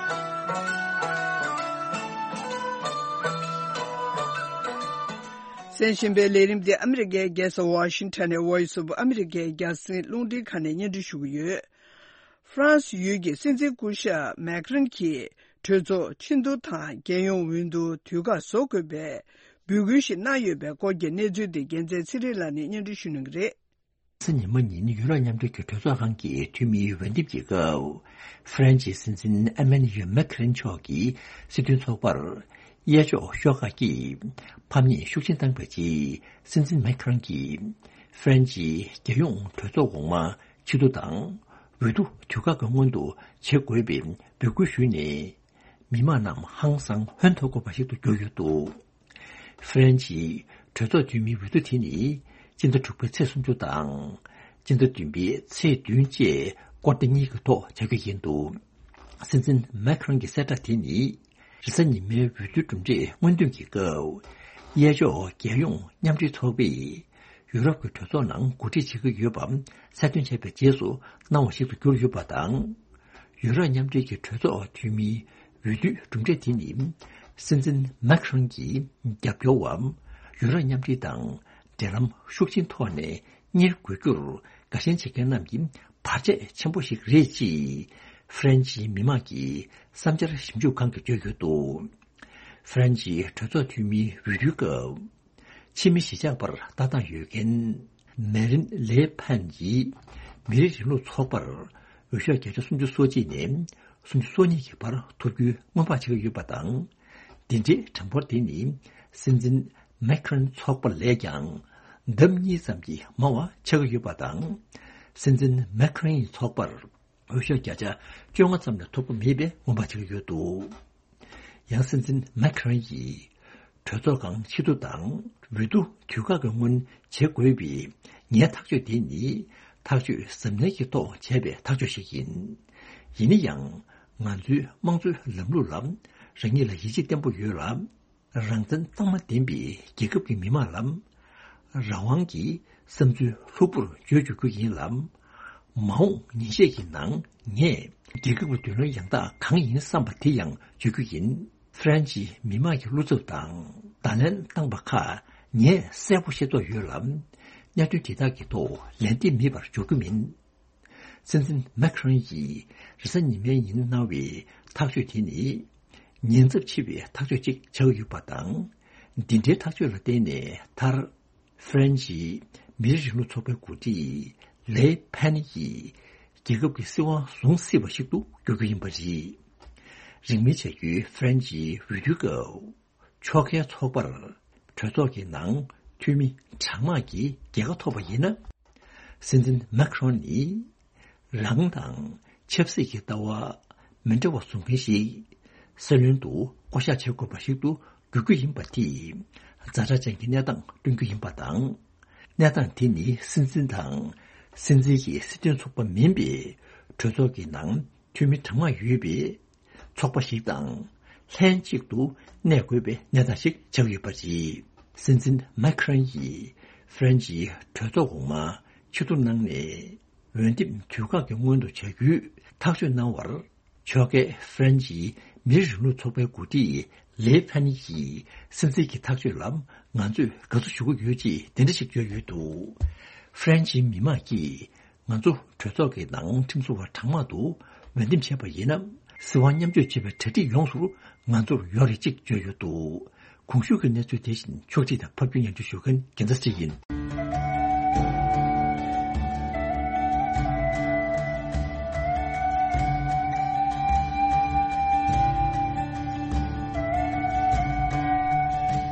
གསན་བཞིན་པའི་ལས་རིམ་འདི་ཨ་མི་རི་ཀའི་རྒྱལ་ས་ཝ་ཤིང་ཊོན་ནས་Voice of America རྒྱང་སྲིང་རླུང་འཕྲིན་ཁང་ནས་སྙན་སྒྲོན་ཞུ་གི་ཡོད། ཧྥ་རན་སི་ཡུལ་གྱི་སྲིད་འཛིན་སྐུ་ཞབས་མེག་རན་གྱིས་གྲོས་ཚོགས་ཆིངས་བསྡུར་དང་རྒྱལ་ཡོངས་འོས་བསྡུ་དུས་བཀག་བཟོ་དགོས་པའི་འབོད་སྐུལ་ཞིག་གནང་ཡོད་པའི་སྐོར་གྱི་གནས་ཚུལ་དེ་རྒྱལ་མཚན་ཚེ་རིང་ལགས་ནས་སྙན་སྒྲོན་ཞུ་གནང་གི་རེད། གཟའ་ཉི་མ་ཉིན་ཡུ་རོབ་མཉམ་འབྲེལ་གྱི་གྲོས་ཚོགས་ཁང་གི་འཐུས་མིའི་འོས་འདེམས་ཀྱི་སྐབས། ཧྥ་རན་སིའི་སྲིད་འཛིན་ཨེ་མན་ཡུ་མེག་རན་མཆོག་གིས་སྲིད་དོན་ཚོགས་པར་གཡས་ཕྱོགས་ཤོག་ཁག་གིས་ཕམ་ཉེས་ཤུགས་ཆེན་བཏང་བའི་རྗེས། སྲིད་འཛིན་མེག་རན་གྱིས་ཧྥ་རན་སིའི་རྒྱལ་ཡོངས་གྲོས་ཚོགས་འོག་མ་ཕྱིར་བསྡུ་དང་། འོས་བསྡུ་དུས་བཀག་གི་སྔོན་དུ་བྱེད་དགོས་པའི་འབོད་སྐུལ་ཞུས་ནས། མི་མང་རྣམས་ཧང་སང་ཧོན་ཐོར་དགོས་པ་ཞིག་ཏུ་གྱུར་ཡོད་འདུག་ཧྥ་རན་སིའི་གྲོས་ཚོགས་འཐུས་མིའི་འོས་བསྡུ་དེ་ནི་སྤྱི་ཟླ་དྲུག་པའི་ཚེས་སུམ་ཅུ་དང་། སྤྱི་ཟླ་བདུན་པའི་ཚེས་བདུན་བཅས་སྐོར་ཟླ་གཉིས་ཀྱི་ཐོག་བྱ་རྒྱུ་ཡིན་འདུག་སྲིད་འཛིན་མེག་རན་གྱི་གསལ་བསྒྲགས་དེ་ནི། རེས་གཟའ་ཉི་མའི་འོས་བསྡུའི་གྲུབ་འབྲས་སྔོན་འདོན་གྱི་སྐབས། གཡས་ཕྱོགས་རྒྱལ་ཡོངས་མཉམ་འབྲེལ་ཚོགས་པས། ཡུ་རོབ་ཀྱི་གྲོས་ཚོགས་ནང་གོ་སྒྲིག་བྱེད་ཀྱི་ཡོད་པ་གསལ་སྟོན་བྱས་པའི་རྗེས་སུ་གནང་བ་ཞིག་ཏུ་གྱུར་ཡོད་པ་དང་། ཡུ་རོབ་མཉམ་འབྲེལ་གྱི་གྲོས་ཚོགས་འཐུས་མིའི་འོས་བསྡུའི་གྲུབ་འབྲས་དེ་ནི། སྲིད་འཛིན་མེག་རན་གྱི་རྒྱབ་སྐྱོར་བ། ཡུ་རོབ་མཉམ་འབྲེལ་དང་འབྲེལ་ལམ་ཤུགས་ཆེན་ཐོག་ནས་གཉེར་དགོས་རྒྱུར་དགའ་ཞེན་བྱེད་མཁན་རྣམས་ཀྱི་བར་ཆད་ཆེན་པོ་ཞིག་རེད་ཅེས་ཧྥ་རན་སིའི་མི་དམངས་ཀྱི་བསམ་འཆར་ཞིབ་འཇུག་ཁང་གིས་བརྗོད་ཡོད་འདུག་ཧྥ་རན་སིའི་གྲོས་ཚོགས་འཐུས་མིའི་འོས་བསྡུའི་སྐབས། ཕྱི་མི་གཞིས་ཆགས་པར་ལྟ་སྟངས་ཡོད་མཁན། མེ་རིན་ལེ་ཕན་གྱིས། མི་རིགས་རིང་ལུགས་ཚོགས་པར་འོས་ཤོག་བརྒྱ་ཆ་སུམ་ཅུ་སོ་གཅིག་ནས་སུམ་ཅུ་སོ་གཉིས་ཀྱི་བར་ཐོབ་རྒྱུའི་སྔོན་དཔག་བྱེད་ཀྱི་ཡོད་པ་དང་། འདི་འདྲའི་གྲངས་འབོར་དེ་ནི་སྲིད་འཛིན་མེག་རན་ཚོགས་པ་ལས་ཀྱང་ལྡབ་གཉིས་ཙམ་གྱིས་མང་བ་ཆགས་ཀྱི་ཡོད་པ་དང་། སྲིད་འཛིན་མེག་རན་ཡི་ཚོགས་པར། འོས་ཤོག་བརྒྱ་ཆ་བཅོ་ལྔ་ཙམ་ལས་ཐོབ་ཀྱི་མེད་པའི་སྔོན་དཔག་བྱེད་ཀྱི་ཡོད་འདུག་ཡང་སྲིད་འཛིན་མེག་རན་ཡིས་གྲོས་ཚོགས་ཁང་ཕྱིར་བསྡུ་དང་འོས་བསྡུ་དུས་བཀག་གི་སྔོན་བྱེད་དགོས་པའི་ངའི་ཐག་གཅོད་དེ་ནི་ཐག་གཅོད་གཟབ་ནན་གྱི་ཐོག་བྱས་པའི་ཐག་གཅོད་ཞིག་ཡིན། ཡིན་ན་ཡང་ང་ཚོའི་དམངས་གཙོའི་ལམ་ལུགས་ལ་རང་ཉིད་ལ་ཡིད་ཆེས་བརྟན་པོ་ཡོད་ལ། རང་བཙན་གཙང་མ་ལྡན་པའི་རྒྱལ་ཁབ་ཀྱི་མི་དམངས་ལ། རང་དབང་གི་བསམ་ཚུལ་ལྷུག་པོར་བརྗོད་འཇུག་རྒྱུ་ཡིན་ལ། མ་འོངས་ཉིན་ཤས་ཀྱི་ནང་ངས་རྒྱལ་ཁབ་ཀྱི་མདུན་ལམ་ཡང་དག་གང་ཡིན་བསམ་པ་དེ་ཡང་བརྗོད་རྒྱུ་ཡིན། ཧྥ་རན་སིའི་མི་དམངས་ཀྱི་བློ་འཚབ་དང་བརྡ་ལན་བཏང་པ་ཁག་ངས་གསལ་པོ་ཤེས་རྟོགས་ཡོད་ལ། གནད་དོན་དེ་དག་གི་ཐོག་ལན་འདེབས་མེད་པར་འཇོག་རྒྱུ་མིན། སྲིད་འཛིན་མེག་རན་གྱིས་རེས་གཟའ་ཉི་མའི་ཉིན་གནང་བའི་ཐག་གཅོད་དེ་ནི། ཉེན་ཚབས་ཆེ་བའི་ཐག་གཅོད་ཅིག་ཆགས་ཡོད་པ་དང་། འདི་འདྲའི་ཐག་གཅོད་ལ་བརྟེན་ནས་མཐར། ཧྥ་རན་སིའི་མི་རིགས་རིང་ལུགས་ཚོགས་པའི་འགོ་ཁྲིད་ལེ་ཕན་ཡིས། རྒྱལ་ཁབ་ཀྱི་སྲིད་དབང་བཟུང་སྲིད་པ་ཞིག་ཏུ་འགྱུར་རྒྱུ་ཡིན་པ་རེད། རིང་མིན་བྱ་རྒྱུའི་ཧྥ་རན་ཇིའི་འོས་བསྡུའི་སྐབས། ཕྱོགས་འགལ་ཚོགས་པར་གྲོས་ཚོགས་ཀྱི་ནང་འཐུས་མི་གྲངས་མང་གི་རྒྱལ་ཁ་ཐོབ་པ་ཡིན་ན། སྲིད་འཛིན་མེག་ཁྲོན་ནི་རང་དང་ཆབ་སྲིད་ཀྱི་ལྟ་བ་མི་འདྲ་བ་བཟུང་མཁན་ཞིག་སྲིད་བློན་དུ་བསྐོ་གཞག་བྱེད་དགོས་པ་ཞིག་ཏུ་འགྱུར་རྒྱུ་ཡིན་པ་དེས་ཛ་དྲག་ཅན་གྱི་གནས་སྟངས་སྟོན་རྒྱུ་ཡིན་པ་དང་། གནས་སྟངས་དེ་ནི་སྲིད་འཛིན་དང་སྲིད་འཛིན་གྱི་སྲིད་དོན་ཚོགས་པ་མིན་པའི་གྲོས་ཚོགས་ཀྱི་ནང་འཐུས་མི་གྲངས་མང་ཡོད་པའི་ཚོགས་པ་ཞིག་དང་ལྷན་གཅིག་ཏུ་གནས་དགོས་པའི་གནས་སྟངས་ཤིག་ཆགས་ཡོད་པ་རེད། སྲིད་འཛིན་མེག་ཁྲོན་ཡིས་ཧྥ་རན་ཇིའི་གྲོས་ཚོགས་འོག་མ་ཕྱིར་བསྡུ་གནང་ནས་འོས་འདེམས་དུས་བཀག་གི་སྔོན་དུ་བྱ་རྒྱུའི་ཐག་གཅོད་གནང་བར། ཕྱོགས་འགལ་ཧྥ་རན་ཇིའི་མིའི་རིང་ལུགས་ཚོགས་པའི་འགོ་ཁྲིད་ལེ་ཕན་ཡིས་སྲིད་འཛིན་གྱི་ཐག་གཅོད་ལ་ང་ཚོས་དགའ་བསུ་ཞུ་གི་ཡོད་ཅེས་དེ་འདྲ་ཞིག་བརྗོད་ཡོད་འདུག་ཧྥ་རན་ཇིའི་མི་མང་གིས་ང་ཚོ་གྲོས་ཚོགས་ཀྱི་ནང་ཁྲིམས་བཟོ་བ་གྲངས་མང་དུ་འོས་འདེམས་བྱས་པ་ཡིན་ན། སྲིད་དབང་མཉམ་སྤྱོད་བྱེད་པའི་གྲ་སྒྲིག་ཡོངས་སུ་ང་ཚོར་ཡོད་རེད་ཅེས་བརྗོད་ཡོད་འདུག་གོང་ཞུས་ཀྱི་གནས་ཚུལ་དེ་བཞིན་ཕྱོགས་སྒྲིག་དང་ཕབ་སྒྱུར་སྙན་སྒྲོན་ཞུ་མཁན་རྒྱལ་མཚན་ཚེ་རིང་ཡིན།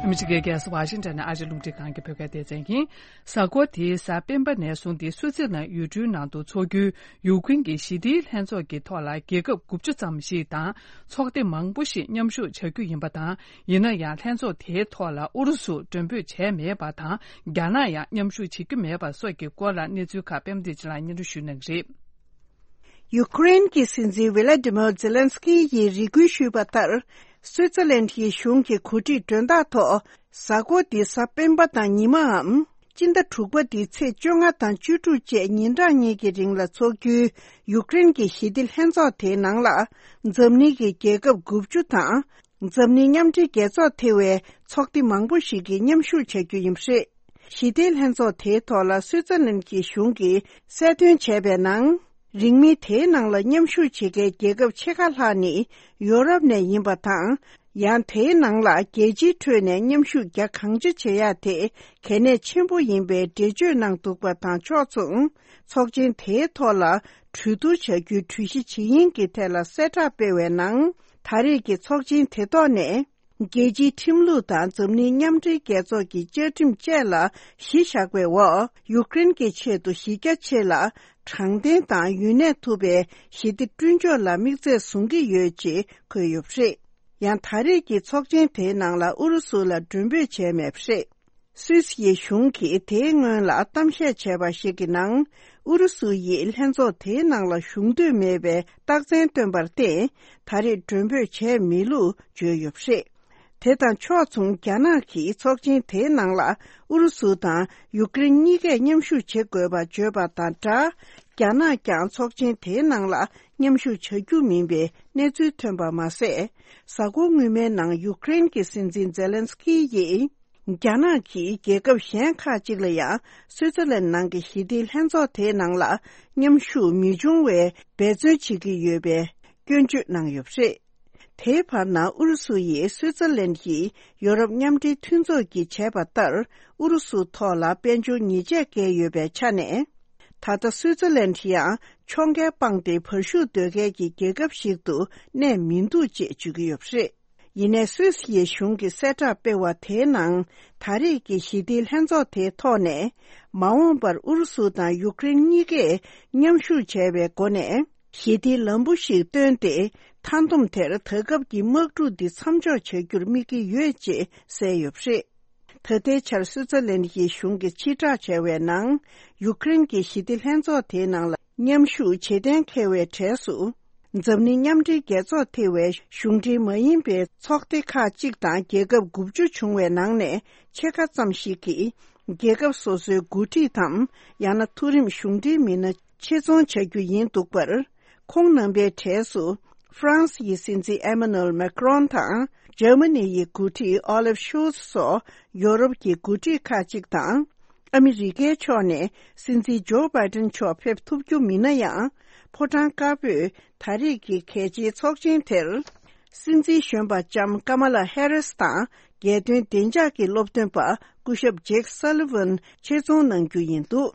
ཨ་མི་རི་ཀའི་རྒྱལ་ས་ཝ་ཤིང་ཊོན་ནས་ཨ་ཅེ་རླུང་འཕྲིན་ཁང་གི་བོད་སྐད་སྡེ་ཚན་ཡིན། གཟའ་འཁོར་འདིའི་གཟའ་སྤེན་པ་ནས་བཟུང་སྟེ་སུའུ་ཙི་ལན་ཡུལ་གྲུའི་ནང་དུ་འཚོགས་རྒྱུའི་ཡུཀ་རེན་གྱི་ཞི་བདེའི་ལྷན་ཚོགས་ཀྱི་ཐོག་ལ་རྒྱལ་ཁབ་དགུ་བཅུ་ཙམ་ཞིག་དང་ཚོགས་སྡེ་མང་པོ་ཞིག་མཉམ་ཞུགས་བྱ་རྒྱུ་ཡིན་པ་དང་། ཡིན་ན་ཡང་ལྷན་ཚོགས་དེའི་ཐོག་ལ་ཨུ་རུ་སུ་མགྲོན་འབོད་བྱས་མེད་པ་དང་། རྒྱ་ནག་ཡང་མཉམ་ཞུགས་བྱེད་རྒྱུ་མེད་པ་སོགས་ཀྱི་སྐོར་ལ་གནས་ཚུལ་ཁག་པད་མ་བདེ་ཆེན་ལགས་སྙན་སྒྲོན་ཞུ་གནང་གི་རེད། ཡུཀ་རེན་གྱི་སྲིད་འཛིན་ཝི་ལ་ཏི་མོ་ཛེ་ལན་སི་ཀི་ཡིས་རེ་སྐུལ་ཞུས་པ་ལྟར། སུའུ་ཙི་ལན་གྱི་གཞུང་གི་གོ་སྒྲིག་མགྲོན་བདག་ཐོག་གཟའ་འཁོར་འདིའི་གཟའ་སྤེན་པ་དང་ཉི་མའམ། སྤྱི་ཟླ་དྲུག་པ་འདིའི་ཚེས་བཅོ་ལྔ་དང་བཅུ་དྲུག་བཅས་ཉིན་གྲངས་གཉིས་ཀྱི་རིང་ལ་འཚོགས་རྒྱུའི་ཡུཀ་རེན་གྱི་ཞི་བདེ་ལྷན་ཚོགས་དེའི་ནང་ལ། འཛམ་གླིང་གི་རྒྱལ་ཁབ་དགུ་བཅུ་དང་། འཛམ་གླིང་མཉམ་འབྲེལ་རྒྱལ་ཚོགས་ཐེ་བའི་ཚོགས་སྡེ་མང་པོ་ཞིག་གིས་མཉམ་ཞུགས་བྱ་རྒྱུ་ཡིན་པ་རེད། ཞི་བདེའི་ལྷན་ཚོགས་དེའི་ཐོག་ལ་སུའུ་ཙི་ལན་གྱི་གཞུང་གིས་གསལ་སྟོན་བྱས་པའི་ནང་། རིང་མིན་དེའི་ནང་ལ་མཉམ་ཞུགས་བྱེད་མཁན་རྒྱལ་ཁབ་ཕྱེད་ཀ་ལྷག་ནི་ཡོ་རོབ་ནས་ཡིན་པ་དང་། ཡང་དེའི་ནང་ལ་རྒྱལ་སྤྱིའི་ཁྲོད་ནས་མཉམ་ཞུགས་རྒྱ་གང་ཆེ་བྱེད་ཡག་དེ་གལ་གནད་ཆེན་པོ་ཡིན་པའི་འགྲེལ་བརྗོད་གནང་འདུག་པ་དང་ཕྱོགས་མཚུངས། ཚོགས་ཆེན་དེའི་ཐོག་ལ་གྲོས་བསྡུར་བྱ་རྒྱུའི་གྲོས་གཞི་ཇི་ཡིན་གྱི་ཐད་ལ་གསལ་བསྒྲགས་སྤེལ་བའི་ནང་། ད་རེས་ཀྱི་ཚོགས་ཆེན་དེ་ཐོག་ནས། རྒྱལ་སྤྱིའི་ཁྲིམས་ལུགས་དང་འཛམ་གླིང་མཉམ་འབྲེལ་རྒྱལ་ཚོགས་ཀྱི་བཅའ་ཁྲིམས་བཅས་ལ་གཞི་བཞག་པའི་འོག་ཡུཀ་རེན་གྱི་ཆེད་དུ་གཞི་རྒྱ་ཆེ་ལ་དྲང་བདེན་དང་ཡུན་གནས་ཐུབ་པའི་ཞི་བདེ་བསྐྲུན་ཕྱོགས་ལ་དམིགས་ཚད་བཟུང་གི་ཡོད་ཅེས་འཁོད་ཡོད་པ་རེད། ཡང་ད་རེས་ཀྱི་ཚོགས་ཆེན་དེའི་ནང་ལ་ཨུ་རུ་སུ་ལ་མགྲོན་འབོད་བྱས་མེད་པ་རེད། སུད་སི་ཡི་གཞུང་གིས་དེའི་སྔོན་ལ་གཏམ་བཤད་བྱས་པ་ཞིག་གི་ནང་། ཨུ་རུ་སུ་ཡིས་ལྷན་ཚོགས་དེའི་ནང་ལ་ཞུགས་འདོད་མེད་པའི་རྟགས་མཚན་བཏོན་པར་བརྟེན། ད་རེས་མགྲོན་འབོད་བྱས་མེད་ལུགས་བརྗོད་ཡོད་པ་རེད། དེ་དང་ཕྱོགས་མཚུངས། རྒྱ་ནག་གིས་ཚོགས་ཆེན་དེའི་ནང་ལ་ཨུ་རུ་སུ་དང་ཡུཀ་རེན་གཉིས་ཀས་མཉམ་ཞུགས་བྱེད་དགོས་པ་བརྗོད་པ་དང་སྦྲགས། རྒྱ་ནག་ཀྱང་ཚོགས་ཆེན་དེའི་ནང་ལ་མཉམ་ཞུགས་བྱ་རྒྱུ་མིན་པའི་གནས་ཚུལ་ཐོན་པ་མ་ཟད། གཟའ་འཁོར་སྔོན་མའི་ནང་ཡུཀ་རེན་གྱི་སྲིད་འཛིན་ཛེ་ལན་སི་ཀི་ཡིས། རྒྱ་ནག་གིས་རྒྱལ་ཁབ་གཞན་ཁག་ཅིག་ལ་ཡང་སུའུ་ཙི་ལན་ནང་གི་ཞི་བདེའི་ལྷན་ཚོགས་དེའི་ནང་ལ་མཉམ་ཞུགས་མི་འབྱུང་བའི་འབད་བརྩོན་བྱེད་ཀྱི་ཡོད་པའི་སྐྱོན་བརྗོད་གནང་ཡོད་པ་རེད། དེའི་བར་ན་ཨུ་རུ་སུ་ཡིས་སུའུ་ཙི་ལན་གྱིས་ཡོ་རོབ་མཉམ་འབྲེལ་མཐུན་ཚོགས་ཀྱིས་བྱས་པ་ལྟར་ཨུ་རུ་སུ་ཐོག་ལ་དཔལ་འབྱོར་ཉེས་ཆད་བཀལ་ཡོད་པའི་ཆ་ནས། ད་ལྟ་སུའུ་ཙི་ལན་ཡང་ཕྱོགས་འགལ་སྤངས་ཏེ་བར་ཞུགས་འདོད་མཁན་གྱི་རྒྱལ་ཁབ་ཞིག་ཏུ་གནས་མི་འདུག་ཅེས་བརྗོད་ཀྱི་ཡོད་པ་རེད། ཡིན་ནའི་སུད་སི་ཡི་གཞུང་གིས་གསལ་བསྒྲགས་སྤེལ་བ་དེའི་ནང་། ད་རེས་ཀྱི་ཞི་བདེའི་ལྷན་ཚོགས་དེའི་ཐོག་ནས། མ་འོངས་པར་ཨུ་རུ་སུ་དང་ཡུཀ་རེན་གཉིས་ཀས་མཉམ་ཞུགས་བྱས་པའི་སྒོ་ནས། ཞི་བདེའི་ལམ་བུ་ཞིག་བཏོན་ཏེ། མཐའ་སྡོམ་དེར་ད་སྐབས་ཀྱི་དམག་འཁྲུག་འདི་མཚམས་འཇོག་བྱ་རྒྱུར་དམིགས་ཀྱི་ཡོད་ཅེས་གསལ་ཡོད་པ་རེད། ད་ལྟའི་ཆར་སུའུ་ཙེར་ལན་ཡི་གཞུང་གིས་ཕྱིར་བསྒྲགས་བྱས་པའི་ནང་། ཡུཀ་རེན་གྱི་ཞི་བདེ་ལྷན་ཚོགས་དེའི་ནང་ལ་མཉམ་ཞུགས་བྱེད་གཏན་འཁེལ་བའི་གྲས་སུ། འཛམ་གླིང་མཉམ་འབྲེལ་རྒྱལ་ཚོགས་ཐེ་བའི་གཞུང་འབྲེལ་མ་ཡིན་པའི་ཚོགས་སྡེ་ཁག་ཅིག་དང་རྒྱལ་ཁབ་དགུ་བཅུ་བྱུང་བའི་ནང་ནས་ཕྱེད་ཀ་ཙམ་ཞིག་གིས། རྒྱལ་ཁབ་སོ་སོའི་འགོ་ཁྲིད་དམ། ཡང་ན་མཐོ་རིམ་གཞུང་འབྲེལ་མི་སྣ་ཆེད་རྫོང་བྱ་རྒྱུ་ཡིན་འདུག་པར། ཁོང་རྣམ་པའི་གྲས་སུ། ཧྥ་རན་སི་ཡི་སྲིད་འཛིན་ཨེ་མ་ནུ་ཨེལ་མེ་ཀྲོན་དང་། འཇར་མ་ནི་ཡི་འགོ་ཁྲིད་ཨོ་ལེབ་ཤོལ་ཚ་སོགས་ཡོ་རོབ་ཀྱི་འགོ་ཁྲིད་ཁག་ཅིག་དང་། ཨ་མི་རི་ཀའི་ཕྱོགས་ནས་སྲིད་འཛིན་ཇོ་བྷའི་ཏན་མཆོག་ཕེབས་ཐུབ་རྒྱུ་མིན་ན་ཡང་། ཕོ་བྲང་དཀར་པོས་ད་རེས་ཀྱི་གལ་ཆེའི་ཚོགས་ཆེན་དེར། སྲིད་འཛིན་གཞོན་པ་ལྕམ་ཀ་མ་ལ་ཧེ་རིས་དང་། རྒྱལ་དོན་བདེ་འཇགས་ཀྱི་སློབ་སྟོན་པ་སྐུ་ཞབས་ཇེག་སཱ་ལི་ཝན་ཆེད་རྫོང་གནང་རྒྱུ་ཡིན་འདུག་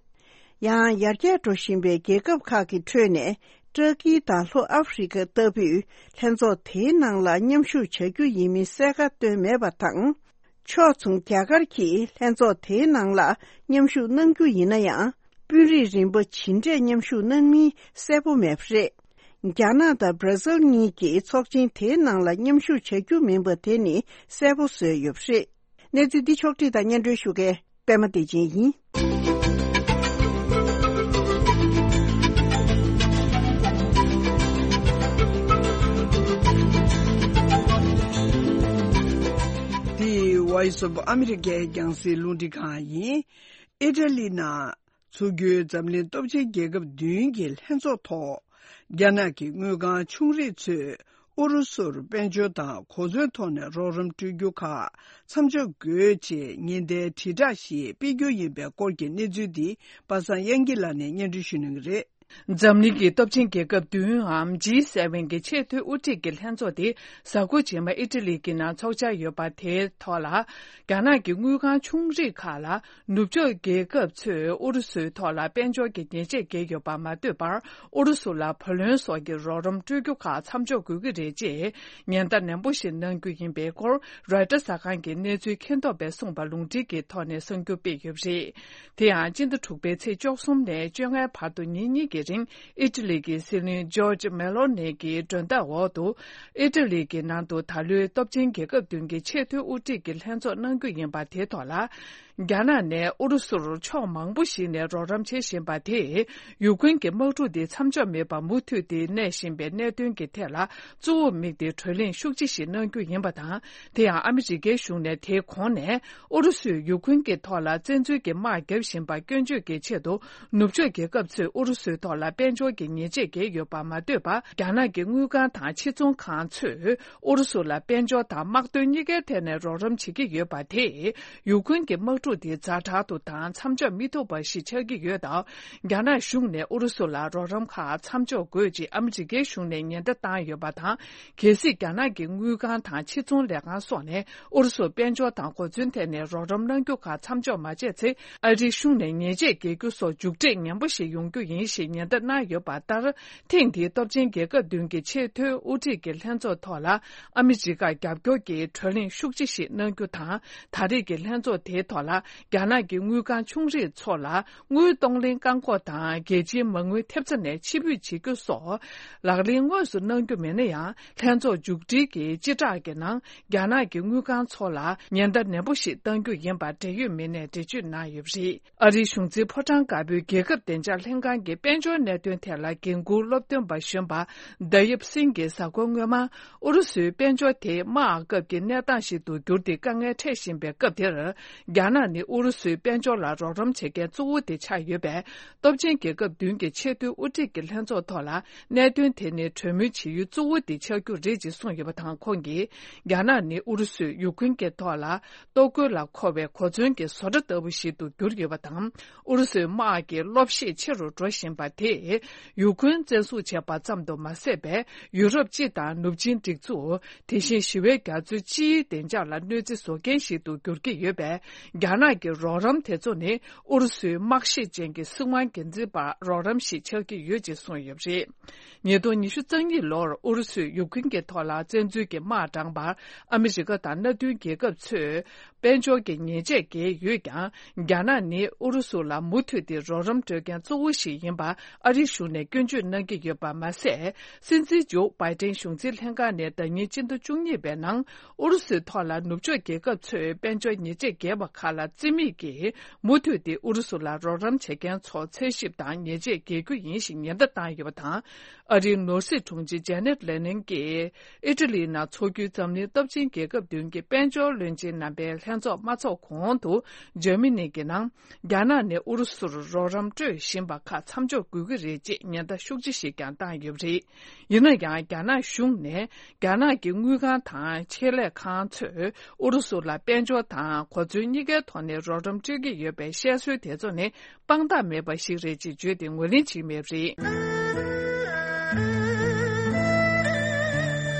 ཡང་ཡར་རྒྱས་འགྲོ་བཞིན་པའི་རྒྱལ་ཁབ་ཁག་གི་ཁྲོད་ནས་ཏྲ་ཀི་དང་ལྷོ་ཨ་ཧྥེ་རི་ཁ་ལྟ་བུས་ལྷན་ཚོགས་དེའི་ནང་ལ་མཉམ་ཞུགས་བྱ་རྒྱུ་ཡིན་མིན་གསལ་ཁ་བཏོན་མེད་པ་དང་། ཕྱོགས་མཚུངས་རྒྱ་གར་གྱིས་ལྷན་ཚོགས་དེའི་ནང་ལ་མཉམ་ཞུགས་གནང་རྒྱུ་ཡིན་ན་ཡང་། དཔོན་རིགས་རིམ་པ་ཇི་འདྲས་མཉམ་ཞུགས་གནང་མིན་གསལ་པོ་མེད་པ་རེད། རྒྱ་ནག་དང་སྦྲ་སིལ་གཉིས་ཀྱིས་ཚོགས་ཆེན་དེའི་ནང་ལ་མཉམ་ཞུགས་བྱ་རྒྱུ་མིན་པ་དེ་ནི་གསལ་པོ་བཟོས་ཡོད་པ་རེད། གནས་ཚུལ་འདི་ཕྱོགས་བསྒྲིགས་དང་སྙན་སྒྲོན་ཞུ་མཁན་པད་མ་བདེ་ཆེན་ཡིན། འདི་Voice of America་རྒྱང་སྲིང་རླུང་འཕྲིན་ཁང་ཡིན། ཨི་ཊ་ལི་ནང་འཚོགས་རྒྱུའི་འཛམ་གླིང་སྟོབས་ཆེན་རྒྱལ་ཁབ་བདུན་གྱི་ལྷན་ཚོགས་ཐོག་རྒྱ་ནག་གི་དངུལ་ཁང་ཆུང་རིགས་ཚོས་ཨུ་རུ་སུར་དཔལ་འབྱོར་དང་གོ་མཚོན་ཐོག་ནས་རོགས་རམ་སྤྲོད་རྒྱུ་ཁག་མཚམས་འཇོག་དགོས་ཅེས་ཉེན་བརྡའི་དྲིལ་བསྒྲགས་ཤིག་སྤེལ་རྒྱུ་ཡིན་པའི་སྐོར་གྱི་གནས་ཚུལ་འདི་པ་སངས་དབྱངས་སྐྱིད་ལགས་ནས་སྙན་སྒྲོན་ཞུ་གནང་གི་རེད། འཛམ་གླིང་གི་སྟོབས་ཆེན་རྒྱལ་ཁབ་བདུན་འམ་ཇི་སེ་ཝེན་གྱི་ཆེས་མཐོའི་དབུ་ཁྲིད་ཀྱི་ལྷན་ཚོགས་དེ་གཟའ་འཁོར་རྗེས་མ་ཨི་ཊ་ལི་གི་ནང་འཚོགས་འཆར་ཡོད་པ་དེའི་ཐོག་ལ། རྒྱ་ནག་གི་དངུལ་ཁང་ཆུང་རིགས་ཁག་ལ་ནུབ་ཕྱོགས་རྒྱལ་ཁབ་ཚོས་ཨུ་རུ་སུའི་ཐོག་ལ་དཔལ་འབྱོར་གྱི་ཉེས་ཆད་འགེལ་ཡོད་པར་མ་ལྟོས་པར། ཨུ་རུ་སུ་ལ་བུ་ལོན་སོགས་ཀྱི་རོགས་རམ་སྤྲོད་རྒྱུ་ཁག་མཚམས་འཇོག་དགོས་ཀྱི་རེད་ཅེས་ཉེན་བརྡ་ནན་པོ་ཞིག་གནང་རྒྱུ་ཡིན་པའི་སྐོར། རོའི་ཊར་གསར་ཁང་གི་གནས་ཚུལ་མཁྱེན་རྟོགས་པས་གསུངས་པ་ལུང་འདྲེན་གྱི་ཐོག་ནས་གསར་འགྱུར་སྤེལ་ཡོད་པ་རེད། དེ་ཡང་སྤྱི་ཟླ་དྲུག་པའི་ཚེས་བཅུ་གསུམ་ནས་བཅོ་ལྔའི་བར་དུ་ཉིན་གཉིས་ཀྱི་རིང་ཨི་ཊ་ལི་གི་སྲིད་བློན་ཇོརྗ་མེ་ལོ་ནི་གི་མགྲོན་བདག་འོག་ཏུ། ཨི་ཊ་ལི་གི་ནང་དུ་ད་ལོའི་སྟོབས་ཆེན་རྒྱལ་ཁབ་བདུན་གྱི་ཆེས་མཐོའི་དབུ་ཁྲིད་ཀྱི་ལྷན་ཚོགས་གནང་རྒྱུ་ཡིན་པ་དེའི་ཐོག་ལ། རྒྱ་ནག་ནས་ཨུ་རུ་སུར་ཕྱོགས་མང་པོ་ཞིག་ནས་རོགས་རམ་བྱེད་བཞིན་པ་དེས། ཡུཀ་རེན་གྱི་དམག་འཁྲུག་དེ་མཚམས་འཇོག་མེད་པར་མུ་མཐུད་དེ་གནས་བཞིན་པའི་གནད་དོན་གྱི་ཐད་ལ་གཙོ་བོ་དམིགས་ཏེ་གྲོས་གླེང་ཤུགས་ཆེ་ཞིག་གནང་རྒྱུ་ཡིན་པ་དང་། དེ་ཡང་ཨ་མི་རི་ཀའི་གཞུང་ནས་དེའི་གོང་ནས་ཨུ་རུ་སུས་ཡུཀ་རེན་གྱི་ཐོག་ལ་བཙན་འཛུལ་གྱི་དམག་བརྒྱབ་བཞིན་པ་སྐྱོན་བརྗོད་ཀྱི་ཆེད་དུ། ནུབ་ཕྱོགས་རྒྱལ་ཁབ་ཚོས་ཨུ་རུ་སུའི་ཐོག་ལ་དཔལ་འབྱོར་གྱི་ཉེས་ཆད་འགེལ་ཡོད་པར་མ་ལྟོས་པར། རྒྱ་ནག་གི་དངུལ་ཁང་དང་ཕྱིར་ཚོང་ཁང་ཚོས་ཨུ་རུ་སུ་ལ་དཔལ་འབྱོར་དང་དམག་དོན་གཉིས་ཀའི་ཐད་ནས་རོགས་རམ་བྱེད་ཀྱི་ཡོད་པ་དེས། ཡུཀ་རེན་གྱི་དམག་འཁྲུག་དེ་ཛ་དྲག་ཏུ་དང་མཚམས་འཇོག་མི་ཐུབ་པ་ཞིག་ཆགས་ཀྱི་ཡོད་སྟབས། རྒྱ་ནག་གཞུང་ནས་ཨུ་རུ་སུ་ལ་རོགས་རམ་ཁག་མཚམས་འཇོག་དགོས་ཅེས་ཨ་མི་རི་ཀའི་གཞུང་ནས་ཉེན་བརྡ་བཏང་ཡོད་པ་དང་། གལ་སྲིད་རྒྱ་ནག་གི་དངུལ་ཁང་དང་ཕྱིར་ཚོང་ལས་ཁང་སོགས་ནས་ཨུ་རུ་སུར་དཔལ་འབྱོར་དང་གོ་མཚོན་ཐད་ནས་རོགས་རམ་གནང་རྒྱུ་ཁག་མཚམས་འཇོག་མ་བྱས་ཚེ། ཨ་རིའི་གཞུང་ནས་ཉེས་ཆད་འགེལ་རྒྱུ་སོགས་མཇུག་འབྲས་ངན་པ་ཞིག་ཡོང་རྒྱུ་ཡིན་ཞེས་ཉེན་བརྡ་གནང་ཡོད་པ་ལྟར། ཐེངས་འདིའི་སྟོབས་ཆེན་རྒྱལ་ཁབ་བདུན་གྱི་ཆེས་མཐོའི་དབུ་ཁྲིད་ཀྱི་ལྷན་ཚོགས་ཐོག་ལ་ཨ་མི་རི་ཀར་རྒྱབ་སྐྱོར་གྱི་གྲོས་གླེང་ཤུགས་ཆེ་ཞིག་གནང་རྒྱུ་དང་། ད་རེས་ཀྱི་ལྷན་ཚོགས་དེའི་ཐོག་ལ་རྒྱ་ནག་གི་དངུལ་ཁང་ཆུང་རིགས་ཚོ་ལ་དངུལ་གཏོང་ལེན་བཀག་འགོག་དང་། རྒྱལ་སྤྱིའི་མ་དངུལ་ཐེབས་རྩ་ནས་ཕྱིར་འབུད་བྱེད་རྒྱུ་སོགས་ལག་ལེན་དངོས་སུ་གནང་རྒྱུ་མེད་ན་ཡང་། ལྷན་ཚོགས་མཇུག་སྒྲིལ་གྱི་སྤྱི་བསྒྲགས་ཀྱི་ནང་། རྒྱ་ནག་གི་དངུལ་ཁང་ཚོ་ལ་ཉེན་བརྡ་ནན་པོ་ཞིག་གཏང་རྒྱུ་ཡིན་པ་འབྲེལ་ཡོད་མི་སྣས་འགྲེལ་བརྗོད་གནང་ཡོད་པ་རེད། ཨ་རིའི་གཞུང་འཛིན་ཕོ་བྲང་དཀར་པོའི་རྒྱལ་ཁབ་བདེ་འཇགས་ལྷན་ཁང་གི་དཔལ་འབྱོར་གནད་དོན་ཐད་ལ་འགན་འཁུར་སློབ་སྟོན་པ་གཞོན་པ་ད་ཡབ་སིང་གིས་གཟའ་འཁོར་སྔོན་མ། ཨུ་རུ་སུའི་དཔལ་འབྱོར་དེ་དམག་སྐབས་ཀྱི་གནས་སྟངས་ཤིག་ཏུ་གྱུར་ཏེ་དཀའ་ངལ་འཕྲད་བཞིན་པའི་སྐབས་དེར། རྒྱ་ནག་ནི་ཨུ་རུ་སུའི་དཔལ་འབྱོར་ལ་རོགས་རམ་བྱེད་མཁན་གཙོ་བོ་དེ་ཆགས་ཡོད་པས། སྟོབས་ཆེན་རྒྱལ་ཁབ་བདུན་གྱི་ཆེས་མཐོའི་དབུ་ཁྲིད་ཀྱི་ལྷན་ཚོགས་ཐོག་ལ། གནད་དོན་དེ་ནི་གྲོས་མོལ་བྱེད་ཡུལ་གཙོ་བོ་དེ་ཆགས་རྒྱུ་རེད་ཅེས་གསུངས་ཡོད་པ་དང་། ཁོང་གིས། རྒྱ་ནག་ནི་ཨུ་རུ་སུས་ཡུཀ་རེན་གྱི་ཐོག་ལ། ལྟོ་གོས་ལ་མཁོ་བའི་གོ་མཚོན་གྱི་བཟོ་གྲྭ་ལྟ་བུ་ཞིག་ཏུ་གྱུར་ཡོད་པ་དང་། ཨུ་རུ་སུའི་དམག་གི་གློ་གཤད་ཆེ་རུ་འགྲོ་བཞིན་པ་དེས། ཡུཀ་རེན་བཙན་བཟུང་བྱས་པ་ཙམ་དུ་མ་ཟད་པའི་ཡུ་རོབ་སྤྱི་དང་ནུབ་ཆིངས་སྒྲིག་འཛུགས། དེ་བཞིན་ཞི་བའི་རྒྱ་མཚོའི་སྤྱིའི་བདེ་འཇགས་ལ་གནོད་འཚེ་བཟོ་མཁན་ཞིག་ཏུ་འགྱུར་གྱི་ཡོད་པས། རྒྱ་ནག་གི་རོགས་རམ་དེ་ཚོ་ནི་ཨུ་རུ་སུའི་དམག་ཤེད་ཅན་གྱི་སྲིད་དབང་སྒེར་འཛིན་པར་རོགས་རམ་ཞིག་ཆགས་ཀྱི་ཡོད་ཅེས་གསུངས་ཡོད་པ་རེད། ཉིས་སྟོང་ཉི་ཤུ་རྩ་གཉིས་ལོར་ཨུ་རུ་སུས་ཡུཀ་རེན་གྱི་ཐོག་ལ་བཙན་འཛུལ་གྱི་དམག་དྲངས་པར་ཨ་མི་རི་ཀ་དང་མནའ་མཐུན་རྒྱལ་ཁབ་ཚོས་དཔལ་འབྱོར་གྱི་ཉེས་ཆད་འགེལ་ཡོད་ཀྱང་། རྒྱ་ནག་ནི་ཨུ་རུ་སུ་ལ་མུ་མཐུད་དེ་རོགས་རམ་སྤྲོད་མཁན་གཙོ་བོ་ཞིག་ཡིན་པ་ཨ་རིའི་གཞུང་ནས་སྐྱོན་བརྗོད་གནང་གི་ཡོད་པ་མ་ཟད། སྲིད་འཛིན་ཇོ་བྷའི་ཏན་གཞུང་འཛིན་ལྷན་ཁང་ནས་ཟླ་ཉིན་སྤྱི་ཟླ་བཅུ་གཉིས་པའི་ནང་ཨུ་རུ་སུའི་ཐོག་ལ་ནུབ་ཕྱོགས་རྒྱལ་ཁབ་ཚོས་དཔལ་འབྱོར་ཉེས་ཆད་འགེལ་བ་ཁག་ལ་རྩིས་མེད་ཀྱིས། མུ་མཐུད་དེ་ཨུ་རུ་སུ་ལ་རོགས་རམ་བྱེད་མཁན་ཚོར་འཚོལ་ཞིབ་དང་ཉེས་ཆད་འགེལ་རྒྱུ་ཡིན་ཞེས་ཉེན་བརྡ་བཏང་ཡོད་པ་དང་། ཨ་རིའི་ནོར་སྲིད་དྲུང་ཆེ་ཇེ་ནེད་ལེ་ནན་གྱིས་ཨི་ཊ་ལིའི་ནང་འཚོགས་རྒྱུའི་འཛམ་གླིང་སྟོབས་ཆེན་རྒྱལ་ཁབ་བདུན་གྱི་དཔལ་འབྱོར་བློན་ཆེན་རྣམ་པའི་ལྷན་ཚོགས་མ་འཚོགས་གོང་དུ། འཇར་མ་ནི་གི་ནང་རྒྱ་ནག་ནས་ཨུ་རུ་སུར་རོགས་རམ་སྤྲོད་བཞིན་པ་ཁག་མཚམས་འཇོག་དགོས་ཀྱི་རེད་ཅེས་ཉེན་བརྡ་ཤུགས་ཆེ་ཞིག་ཀྱང་བཏང་ཡོད་པ་རེད། ཡིན་ན་ཡང་། རྒྱ་ནག་གཞུང་ནས་རྒྱ་ནག་གི་དངུལ་ཁང་དང་ཆེད་ལས་ཁང་ཚོས་ཨུ་རུ་སུ་ལ་དཔལ་འབྱོར་དང་གོ་མཚོན་གཉིས་ཀའི་ཐོག་ནས་རོགས་རམ་སྤྲོད་ཀྱི་ཡོད་པའི་བཤད་སྲོལ་དེ་ཚོ་ནི་དཔང་རྟགས་མེད་པ་ཞིག་རེད་ཅེས་བརྗོད་དེ་ངོས་ལེན་བྱེད་ཀྱི་མེད་པ་རེད།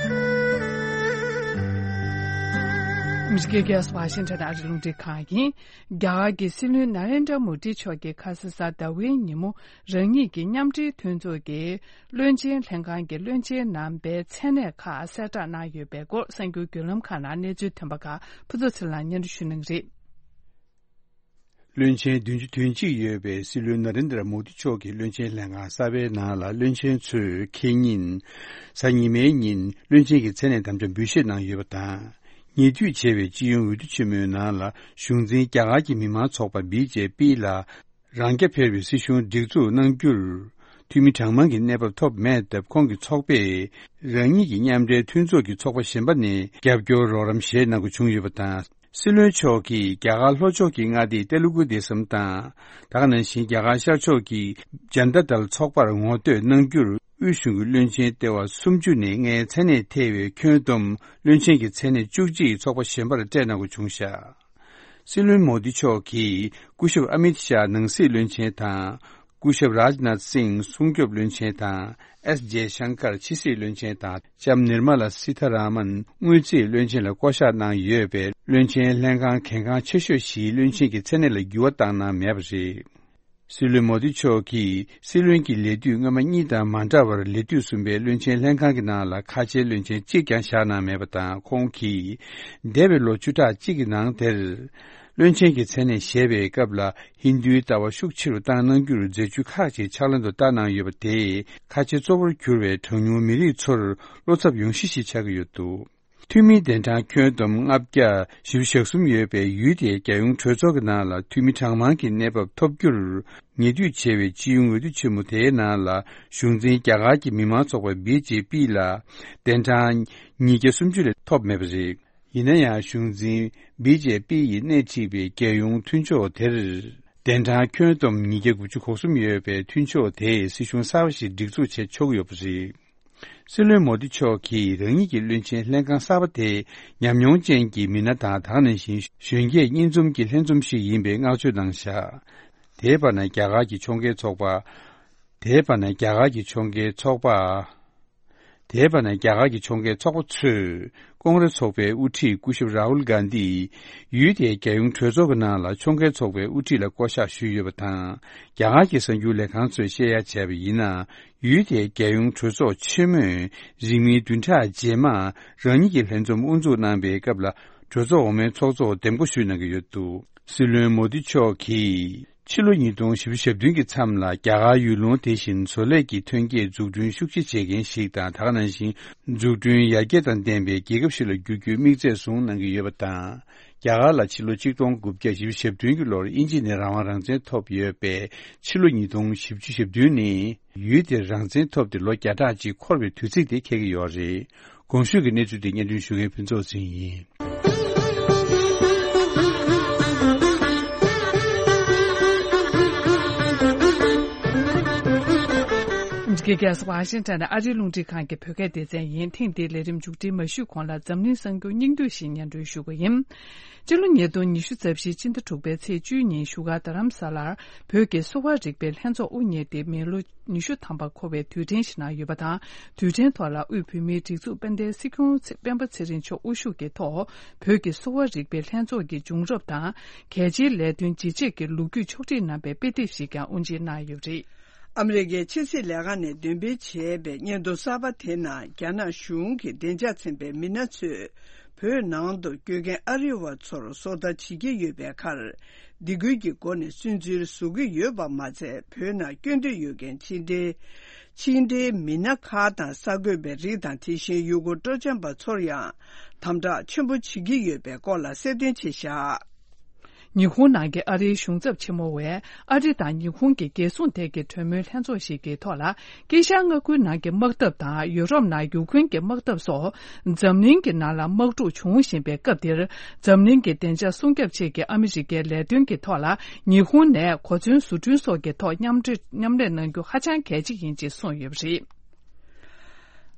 ཨ་མི་རི་ཀའི་རྒྱལ་ས་ཝ་ཤིང་ཊོན་ཨ་རིའི་རླུང་འཕྲིན་ཁང་ཡིན། རྒྱ་གར་གྱི་སྲིད་བློན་ནཱ་རེན་དྲ་མོ་དི་མཆོག་གིས་ཁ་ས་གཟའ་ཟླ་བའི་ཉིན་མོ་རང་ཉིད་ཀྱི་མཉམ་འབྲེལ་མཐུན་ཚོགས་ཀྱི་བློན་ཆེན་ལྷན་ཁང་གི་བློན་ཆེན་རྣམ་པའི་མཚན་གནས་ཁག་གསལ་བསྒྲགས་གནང་ཡོད་པའི་སྐོར་གསར་འགྱུར་བརྒྱུད་ལམ་ཁག་ནང་གནས་ཚུལ་ཐོན་པ་ཁག་ཕུན་ཚོགས་ཚེ་རིང་ལགས་སྙན་སྒྲོན་ཞུ་གནང་གི་རེད། བློན་ཆེན་བདུན་ཅུ་དོན་གཅིག་ཡོད་པའི་སྲིད་བློན་ན་རེན་དྲ་མོ་དི་མཆོག་གིས་བློན་ཆེན་ལྷན་ཁང་གསར་པའི་ནང་ལ་བློན་ཆེན་ཚོས་ཁེ་ཉིན་གཟའ་ཉི་མའི་ཉིན་བློན་ཆེན་གྱི་མཚན་གནས་དམ་བཅའ་འབུལ་བཞེས་གནང་ཡོད་པ་དང་། ཉེ་དུས་བྱས་པའི་སྤྱི་ཡོངས་འོས་བསྡུ་ཆེན་མོའི་ནང་ལ་གཞུང་འཛིན་རྒྱ་གར་གྱི་མི་མང་ཚོགས་པ་བི་ཇེ་པི་ལ་རང་རྐྱ་འཕེར་བའི་སྲིད་གཞུང་སྒྲིག་འཛུགས་གནང་རྒྱུར་འཐུས་མི་གྲངས་མང་གི་གནས་བབ་ཐོབ་མེད་སྟབས། ཁོང་གི་ཚོགས་པས་རང་ཉིད་ཀྱི་མཉམ་འབྲེལ་མཐུན་ཚོགས་ཀྱི་ཚོགས་པ་གཞན་པ་ནས་རྒྱབ་སྐྱོར་རོགས་རམ་བཞེས་གནང་དགོས་བྱུང་ཡོད་པ་དང་། སྲིད་བློན་མཆོག་གིས་རྒྱ་གར་ལྷོ་ཕྱོགས་ཀྱི་མངའ་སྡེ་ཏེ་ལུ་གུ་དེ་སམ་དང་། ད་ག་ནང་བཞིན་རྒྱ་གར་ཤར་ཕྱོགས་ཀྱི་ཇན་ཏ་དལ་ཚོགས་པར་ངོ་བསྟོད་གནང་རྒྱུར་དབུས་གཞུང་གི་བློན་ཆེན་ལྟེ་བ་སུམ་ཅུ་ནས་ལྔའི་མཚན་གནས་ཐེ་བའི་ཁྱོན་བསྡོམས་བློན་ཆེན་གྱི་མཚན་གནས་བཅུ་གཅིག་ཚོགས་པ་གཞན་པར་སྤྲད་གནང་དགོས་བྱུང་བཞག། སྲིད་བློན་མོ་དི་མཆོག་གིས་སྐུ་ཞབས་ཨ་མིད་ཤཱ་ནང་སྲིད་བློན་ཆེན་དང་། སྐུ་ཞབས་རཱཇ་ནཱཐ་སིང་སྲུང་སྐྱོབ་བློན་ཆེན་དང་། ཨེས་ཇེ་ཤང་ཀར་ཕྱི་སྲིད་བློན་ཆེན་དང་། ལྕམ་ནིར་མ་ལ་སི་ཐ་ར་མན་དངུལ་རྩིས་བློན་ཆེན་ལ་བསྐོ་གཞག་གནང་ཡོད་པའི་བློན་ཆེན་ལྷན་ཁང་གལ་འགངས་ཆེ་ཤོས་བཞིའི་བློན་ཆེན་གྱི་མཚན་གནས་ལ་འགྱུར་བ་བཏང་གནང་མེད་པ་རེད། སྲིད་བློན་མོ་དི་མཆོག་གིས་སྲིད་བློན་གྱི་ལས་དུས་སྔོན་མ་གཉིས་དང་མ་འདྲ་བར་ལས་དུས་གསུམ་པའི་བློན་ཆེན་ལྷན་ཁང་གི་ནང་ལ་ཁ་ཆེའི་བློན་ཆེན་གཅིག་ཀྱང་བཞག་གནང་མེད་པ་དང་། ཁོང་གིས་འདས་པའི་ལོ་བཅུ་ཕྲག་གཅིག་གི་ནང་དེར་བློན་ཆེན་གྱི་མཚན་གནས་བཞེས་པའི་སྐབས་ལ་ཧིན་རྡུའི་ལྟ་བ་ཤུགས་ཆེ་རུ་བཏང་གནང་རྒྱུར་མཛད་ཇུས་ཁག་ཅིག་ཕྱག་ལེན་དུ་བསྟར་གནང་ཡོད་པ་དེས་ཁ་ཆེ་གཙོ་བོར་གྱུར་བའི་གྲངས་ཉུང་མི་རིགས་ཚོར་བློ་འཚབ་ཡོང་གཞི་ཞིག་ཆགས་ཀྱི་ཡོད་འདུག། འཐུས་མི་གདན་གྲངས་ཁྱོན་བསྡོམས་ལྔ་བརྒྱ་བཞི་བཅུ་ཞེ་གསུམ་ཡོད་པའི་ཡུལ་དེའི་རྒྱལ་ཡོངས་གྲོས་ཚོགས་ཀྱི་ནང་ལ་འཐུས་མི་གྲངས་མང་གི་གནས་བབ་ཐོབ་རྒྱུར། ཉེ་དུས་བྱས་པའི་སྤྱི་ཡོངས་འོས་བསྡུ་ཆེན་མོ་དེའི་ནང་ལ་གཞུང་འཛིན་རྒྱ་གར་གྱི་མི་མང་ཚོགས་པ་བི་ཇེ་པི་ལ་གདན་གྲངས་ཉིས་བརྒྱ་སུམ་ཅུ་ལས་ཐོབ་མེད་པ་རེད། ཡིན་ན་ཡང་གཞུང་འཛིན་བི་ཇེ་པི་ཡིས་སྣེ་ཁྲིད་པའི་རྒྱལ་ཡོངས་མཐུན་ཕྱོགས་དེར་གདན་གྲངས་ཁྱོན་བསྡོམས་ཉིས་བརྒྱ་དགུ་བཅུ་གོ་གསུམ་ཡོད་པའི་མཐུན་ཕྱོགས་དེས་སྲིད་གཞུང་གསར་པ་ཞིག་སྒྲིག་འཛུགས་བྱེད་ཆོག་གི་ཡོད་པ་རེད། སྲིད་བློན་མོ་དི་མཆོག་གིས་རང་ཉིད་ཀྱི་བློན་ཆེན་ལྷན་ཁང་གསར་པ་དེ་ཉམས་མྱོང་ཅན་གྱི་མི་སྣ་དང་། ད་ག་ནང་བཞིན་གཞོན་སྐྱེས་གཉིས་འཛོམས་ཀྱི་ལྷན་འཛོམས་ཤིག་ཡིན་པའི་བསྔགས་བརྗོད་གནང་བཞག། དེའི་བར་ན་རྒྱ་གར་གྱི་ཕྱོགས་འགལ་ཚོགས་པ། དེའི་བར་ན་རྒྱ་གར་གྱི་ཕྱོགས་འགལ་ཚོགས་པ། དེའི་བར་ན་རྒྱ་གར་གྱི་ཕྱོགས་འགལ་ཚོགས་པ་ཚོས་ཀོང་རེ་ཚོགས་པའི་དབུ་ཁྲིད་སྐུ་ཞབས་རཱ་ཧུལ་གྷན་དྷི་ཡུལ་དེའི་རྒྱལ་ཡོངས་གྲོས་ཚོགས་ཀྱི་ནང་ལ་ཕྱོགས་འགལ་ཚོགས་པའི་དབུ་ཁྲིད་ལ་བསྐོ་གཞག་ཞུས་ཡོད་པ་དང་། རྒྱ་གར་གྱི་གསར་འགྱུར་ལས་ཁང་ཚོས་བཤད་ཡ་བྱས་པ་ཡིན་ན། ཡུལ་དེའི་རྒྱལ་ཡོངས་གྲོས་ཚོགས་ཆེན་མོས་རིང་མིན་བདུན་ཕྲག་རྗེས་མ་རང་ཉིད་ཀྱི་ལྷན་འཛོམས་དབུ་འཛུགས་གནང་པའི་སྐབས་ལ་གྲོས་ཚོགས་འོག་མའི་ཚོགས་གཙོར་འདེམས་བསྐོ་ཞུས་གནང་གི་ཡོད་འདུག། སྲིད་བློན་མོ་དི་མཆོག་གིས་ཕྱི་ལོ་ཉིས་སྟོང་བཞི་བཅུ་ཞེ་བདུན་གྱི་མཚམས་ལ་རྒྱ་གར་ཡུལ་ལུང་དེ་བཞིན་བཟོ་ལས་ཀྱི་ཐོན་སྐྱེད་འཛུགས་སྐྲུན་ཤུགས་ཆེ་བྱེད་མཁན་ཞིག་དང་། ད་ག་ནང་བཞིན་འཛུགས་སྐྲུན་ཡར་རྒྱས་དང་ལྡན་པའི་རྒྱལ་ཁབ་ཞིག་ལ་འགྱུར་རྒྱུའི་དམིགས་ཚད་བཟུང་གནང་གི་ཡོད་པ་དང་། རྒྱ་གར་ལ་ཕྱི་ལོ་ཆིག་སྟོང་དགུ་བརྒྱ་བཞི་བཅུ་ཞེ་བདུན་གྱི་ལོར་དབྱིན་ཇི་ནས་རང་དབང་རང་བཙན་ཐོབ་ཡོད་པའི་ཕྱི་ལོ་ཉིས་སྟོང་བཞི་བཅུ་ཞེ་བདུན་ནི་ཡུལ་དེར་རང་བཙན་ཐོབ་སྟེ་ལོ་བརྒྱ་ཕྲག་གཅིག་འཁོར་བའི་དུས་ཚིགས་དེ་འཁེལ་གྱི་ཡོད་རེད། གོང་ཞུས་ཀྱི་གནས་ཚུལ་དེ་སྙན་སྒྲོན་ཞུ་མཁན་ཕུན་ཚོགས་ཟིན་ཡིན། འདི་ག་ཝ་ཤིང་ཊོན་ཨ་རིའི་རླུང་འཕྲིན་ཁང་གི་བོད་སྐད་སྡེ་ཚན་ཡིན། ཐེངས་འདིའི་ལས་རིམ་མཇུག་སྒྲིལ་མ་ཞུས་གོང་ལ་འཛམ་གླིང་གསར་འགྱུར་སྙིང་བསྡུས་ཤིག་སྙན་སྒྲོན་ཞུ་གི་ཡིན། སྤྱི་ལོ་ཉིས་སྟོང་ཉི་ཤུ་རྩ་བཞིའི་སྤྱི་ཟླ་དྲུག་པའི་ཚེས་བཅུའི་ཉིན་བཞུགས་སྒར་རྡ་རམ་ས་ལར་བོད་ཀྱི་གསོ་བ་རིག་པའི་ལྷན་ཚོགས་དབུ་བརྙེས་ཏེ་མི་ལོ་ཉི་ཤུ་ཐམ་པ་འཁོར་བའི་དུས་དྲན་ཞིག་གནང་ཡོད་པ་དང་། དུས་དྲན་ཐོག་ལ་དབུས་བོད་མིའི་སྒྲིག་འཛུགས་དཔལ་ལྡན་སྲིད་སྐྱོང་ཚེ་སྤེན་པ་ཚེ་རིང་མཆོག་དབུ་བཞུགས་ཀྱི་ཐོག་བོད་ཀྱི་གསོ་བ་རིག་པའི་ལྷན་ཚོགས་ཀྱི་བྱུང་རབས་དང་། གལ་ཆེའི་ལས་དོན་ཇི་བྱེད་ཀྱི་ལོ་རྒྱུས་ཕྱོགས་བསྒྲིགས་གནང་པའི་དཔེ་དེབ་ཞིག་ཀྱང་དབུ་འབྱེད་གནང་ཡོད་པ་རེད། ཨ་མི་རི་ཀའི་ཕྱི་སྲིད་ལས་ཁང་ནས་འདོན་སྤེལ་བྱས་པའི་སྙན་ཐོ་གསར་པ་དེ་ནང་རྒྱ་ནག་གཞུང་གི་བདེ་འཇགས་ཚན་པའི་མི་སྣ་ཚོས་བོད་ནང་དུ་བསྐྱོད་མཁན་ཨ་རི་བ་ཚོར་སོ་ལྟ་བྱེད་ཀྱི་ཡོད་པའི་ཁར། སྡིགས་སྐུལ་གྱི་སྒོ་ནས་སུན་གཙེར་བཟོ་གི་ཡོད་པ་མ་ཚད། བོད་ནང་བསྐྱོད་འདོད་ཡོད་མཁན་ཕྱི་འབྲེལ་ཕྱི་འབྲེལ་མི་སྣ་ཁག་དང་གསར་འགོད་པའི་རིགས་དང་། དེ་བཞིན་ཡུལ་སྐོར་སྤྲོ་འཆམ་པ་ཚོར་ཡང་དམ་དྲག་ཆེན་པོ་བྱེད་ཀྱི་ཡོད་པའི་སྐོར་ལ་གསལ་སྟོན་བྱས་བཞག། ཉི་ཧོང་ནང་གི་ཨ་རིའི་གཞུང་ཚབ་ཆེན་མོ་བས་ཨ་རི་དང་ཉི་ཧོང་གི་རྒྱལ་སྲུང་ཐད་ཀྱི་གྲོས་མོལ་ལྷན་ཚོགས་ཤིག་གི་ཐོག་ལ། དཀྱིལ་ཤར་མངའ་ཁུལ་ནང་གི་དམག་འཐབ་དང་ཡུ་རོབ་ནང་ཡུཀ་རེན་གྱི་དམག་འཐབ་སོགས་འཛམ་གླིང་གི་ནང་ལ་དམག་འཁྲུག་འབྱུང་བཞིན་པའི་སྐབས་འདིར། འཛམ་གླིང་གི་བདེ་འཇགས་སྲུང་སྐྱོབ་ཆེད་ཀྱི་ཨ་མི་རི་ཀའི་ལས་དོན་གྱི་ཐོག་ལ་ཉི་ཧོང་ནས་གོ་མཚོན་བཟོ་སྐྲུན་སོགས་ཀྱི་ཐོག་མཉམ་འབྲེལ་མཉམ་ལས་གནང་རྒྱུ་ཧ་ཅང་གལ་ཆེ་ཡིན་ཅེས་གསུངས་ཡོད་པ་རེད།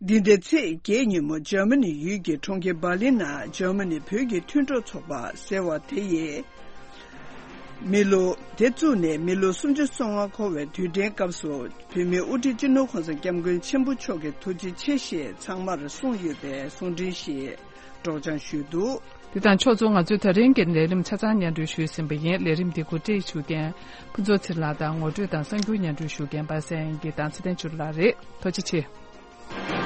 འདི་ཟླའི་ཚེས་བརྒྱད་ཉིན་མོ་འཇར་མ་ནི་ཡུལ་གྱི་གྲོང་ཁྱེར་འབར་ལིན་ནང་འཇར་མ་ནི་བོད་ཀྱི་མཐུན་གྲོགས་ཚོགས་པ་ཟེར་བ་དེ་ཡིས། མི་ལོ་དེ་བཙུགས་ནས་མི་ལོ་སུམ་ཅུ་སོ་ལྔ་འཁོར་བའི་དུས་དྲན་སྐབས་སུ་བོད་མིའི་དབུ་ཁྲིད་སྤྱི་ནོར་གོང་ས་སྐྱབས་མགོན་ཆེན་པོ་མཆོག་གིས་ཐུགས་རྗེ་ཆེ་ཞེས་ཚང་མར་གསུངས་ཡོད་པའི་གསུང་འཕྲིན་ཞིག་སྒྲོག་སྦྱང་ཞུས་འདུག། འདི་དང་ཕྱོགས་མཚུངས་ང་ཚོའི་ད་རིང་གི་ལས་རིམ་ཆ་ཚང་སྙན་སྒྲོན་ཞུས་ཟིན་པ་ཡིན། ལས་རིམ་འདི་གོ་སྒྲིག་ཞུ་མཁན་ཕུན་ཚོགས་ཚེ་རིང་ལགས་དང་ངོ་སྤྲོད་དང་གསར་འགྱུར་སྙན་སྒྲོན་ཞུ་མཁན་པ་སངས་དབྱངས་སྐྱིད་དང་ཚེ་བརྟན་ཆོས་སྒྲོན་ལགས་རེད། ཐུགས་རྗེ་ཆེ།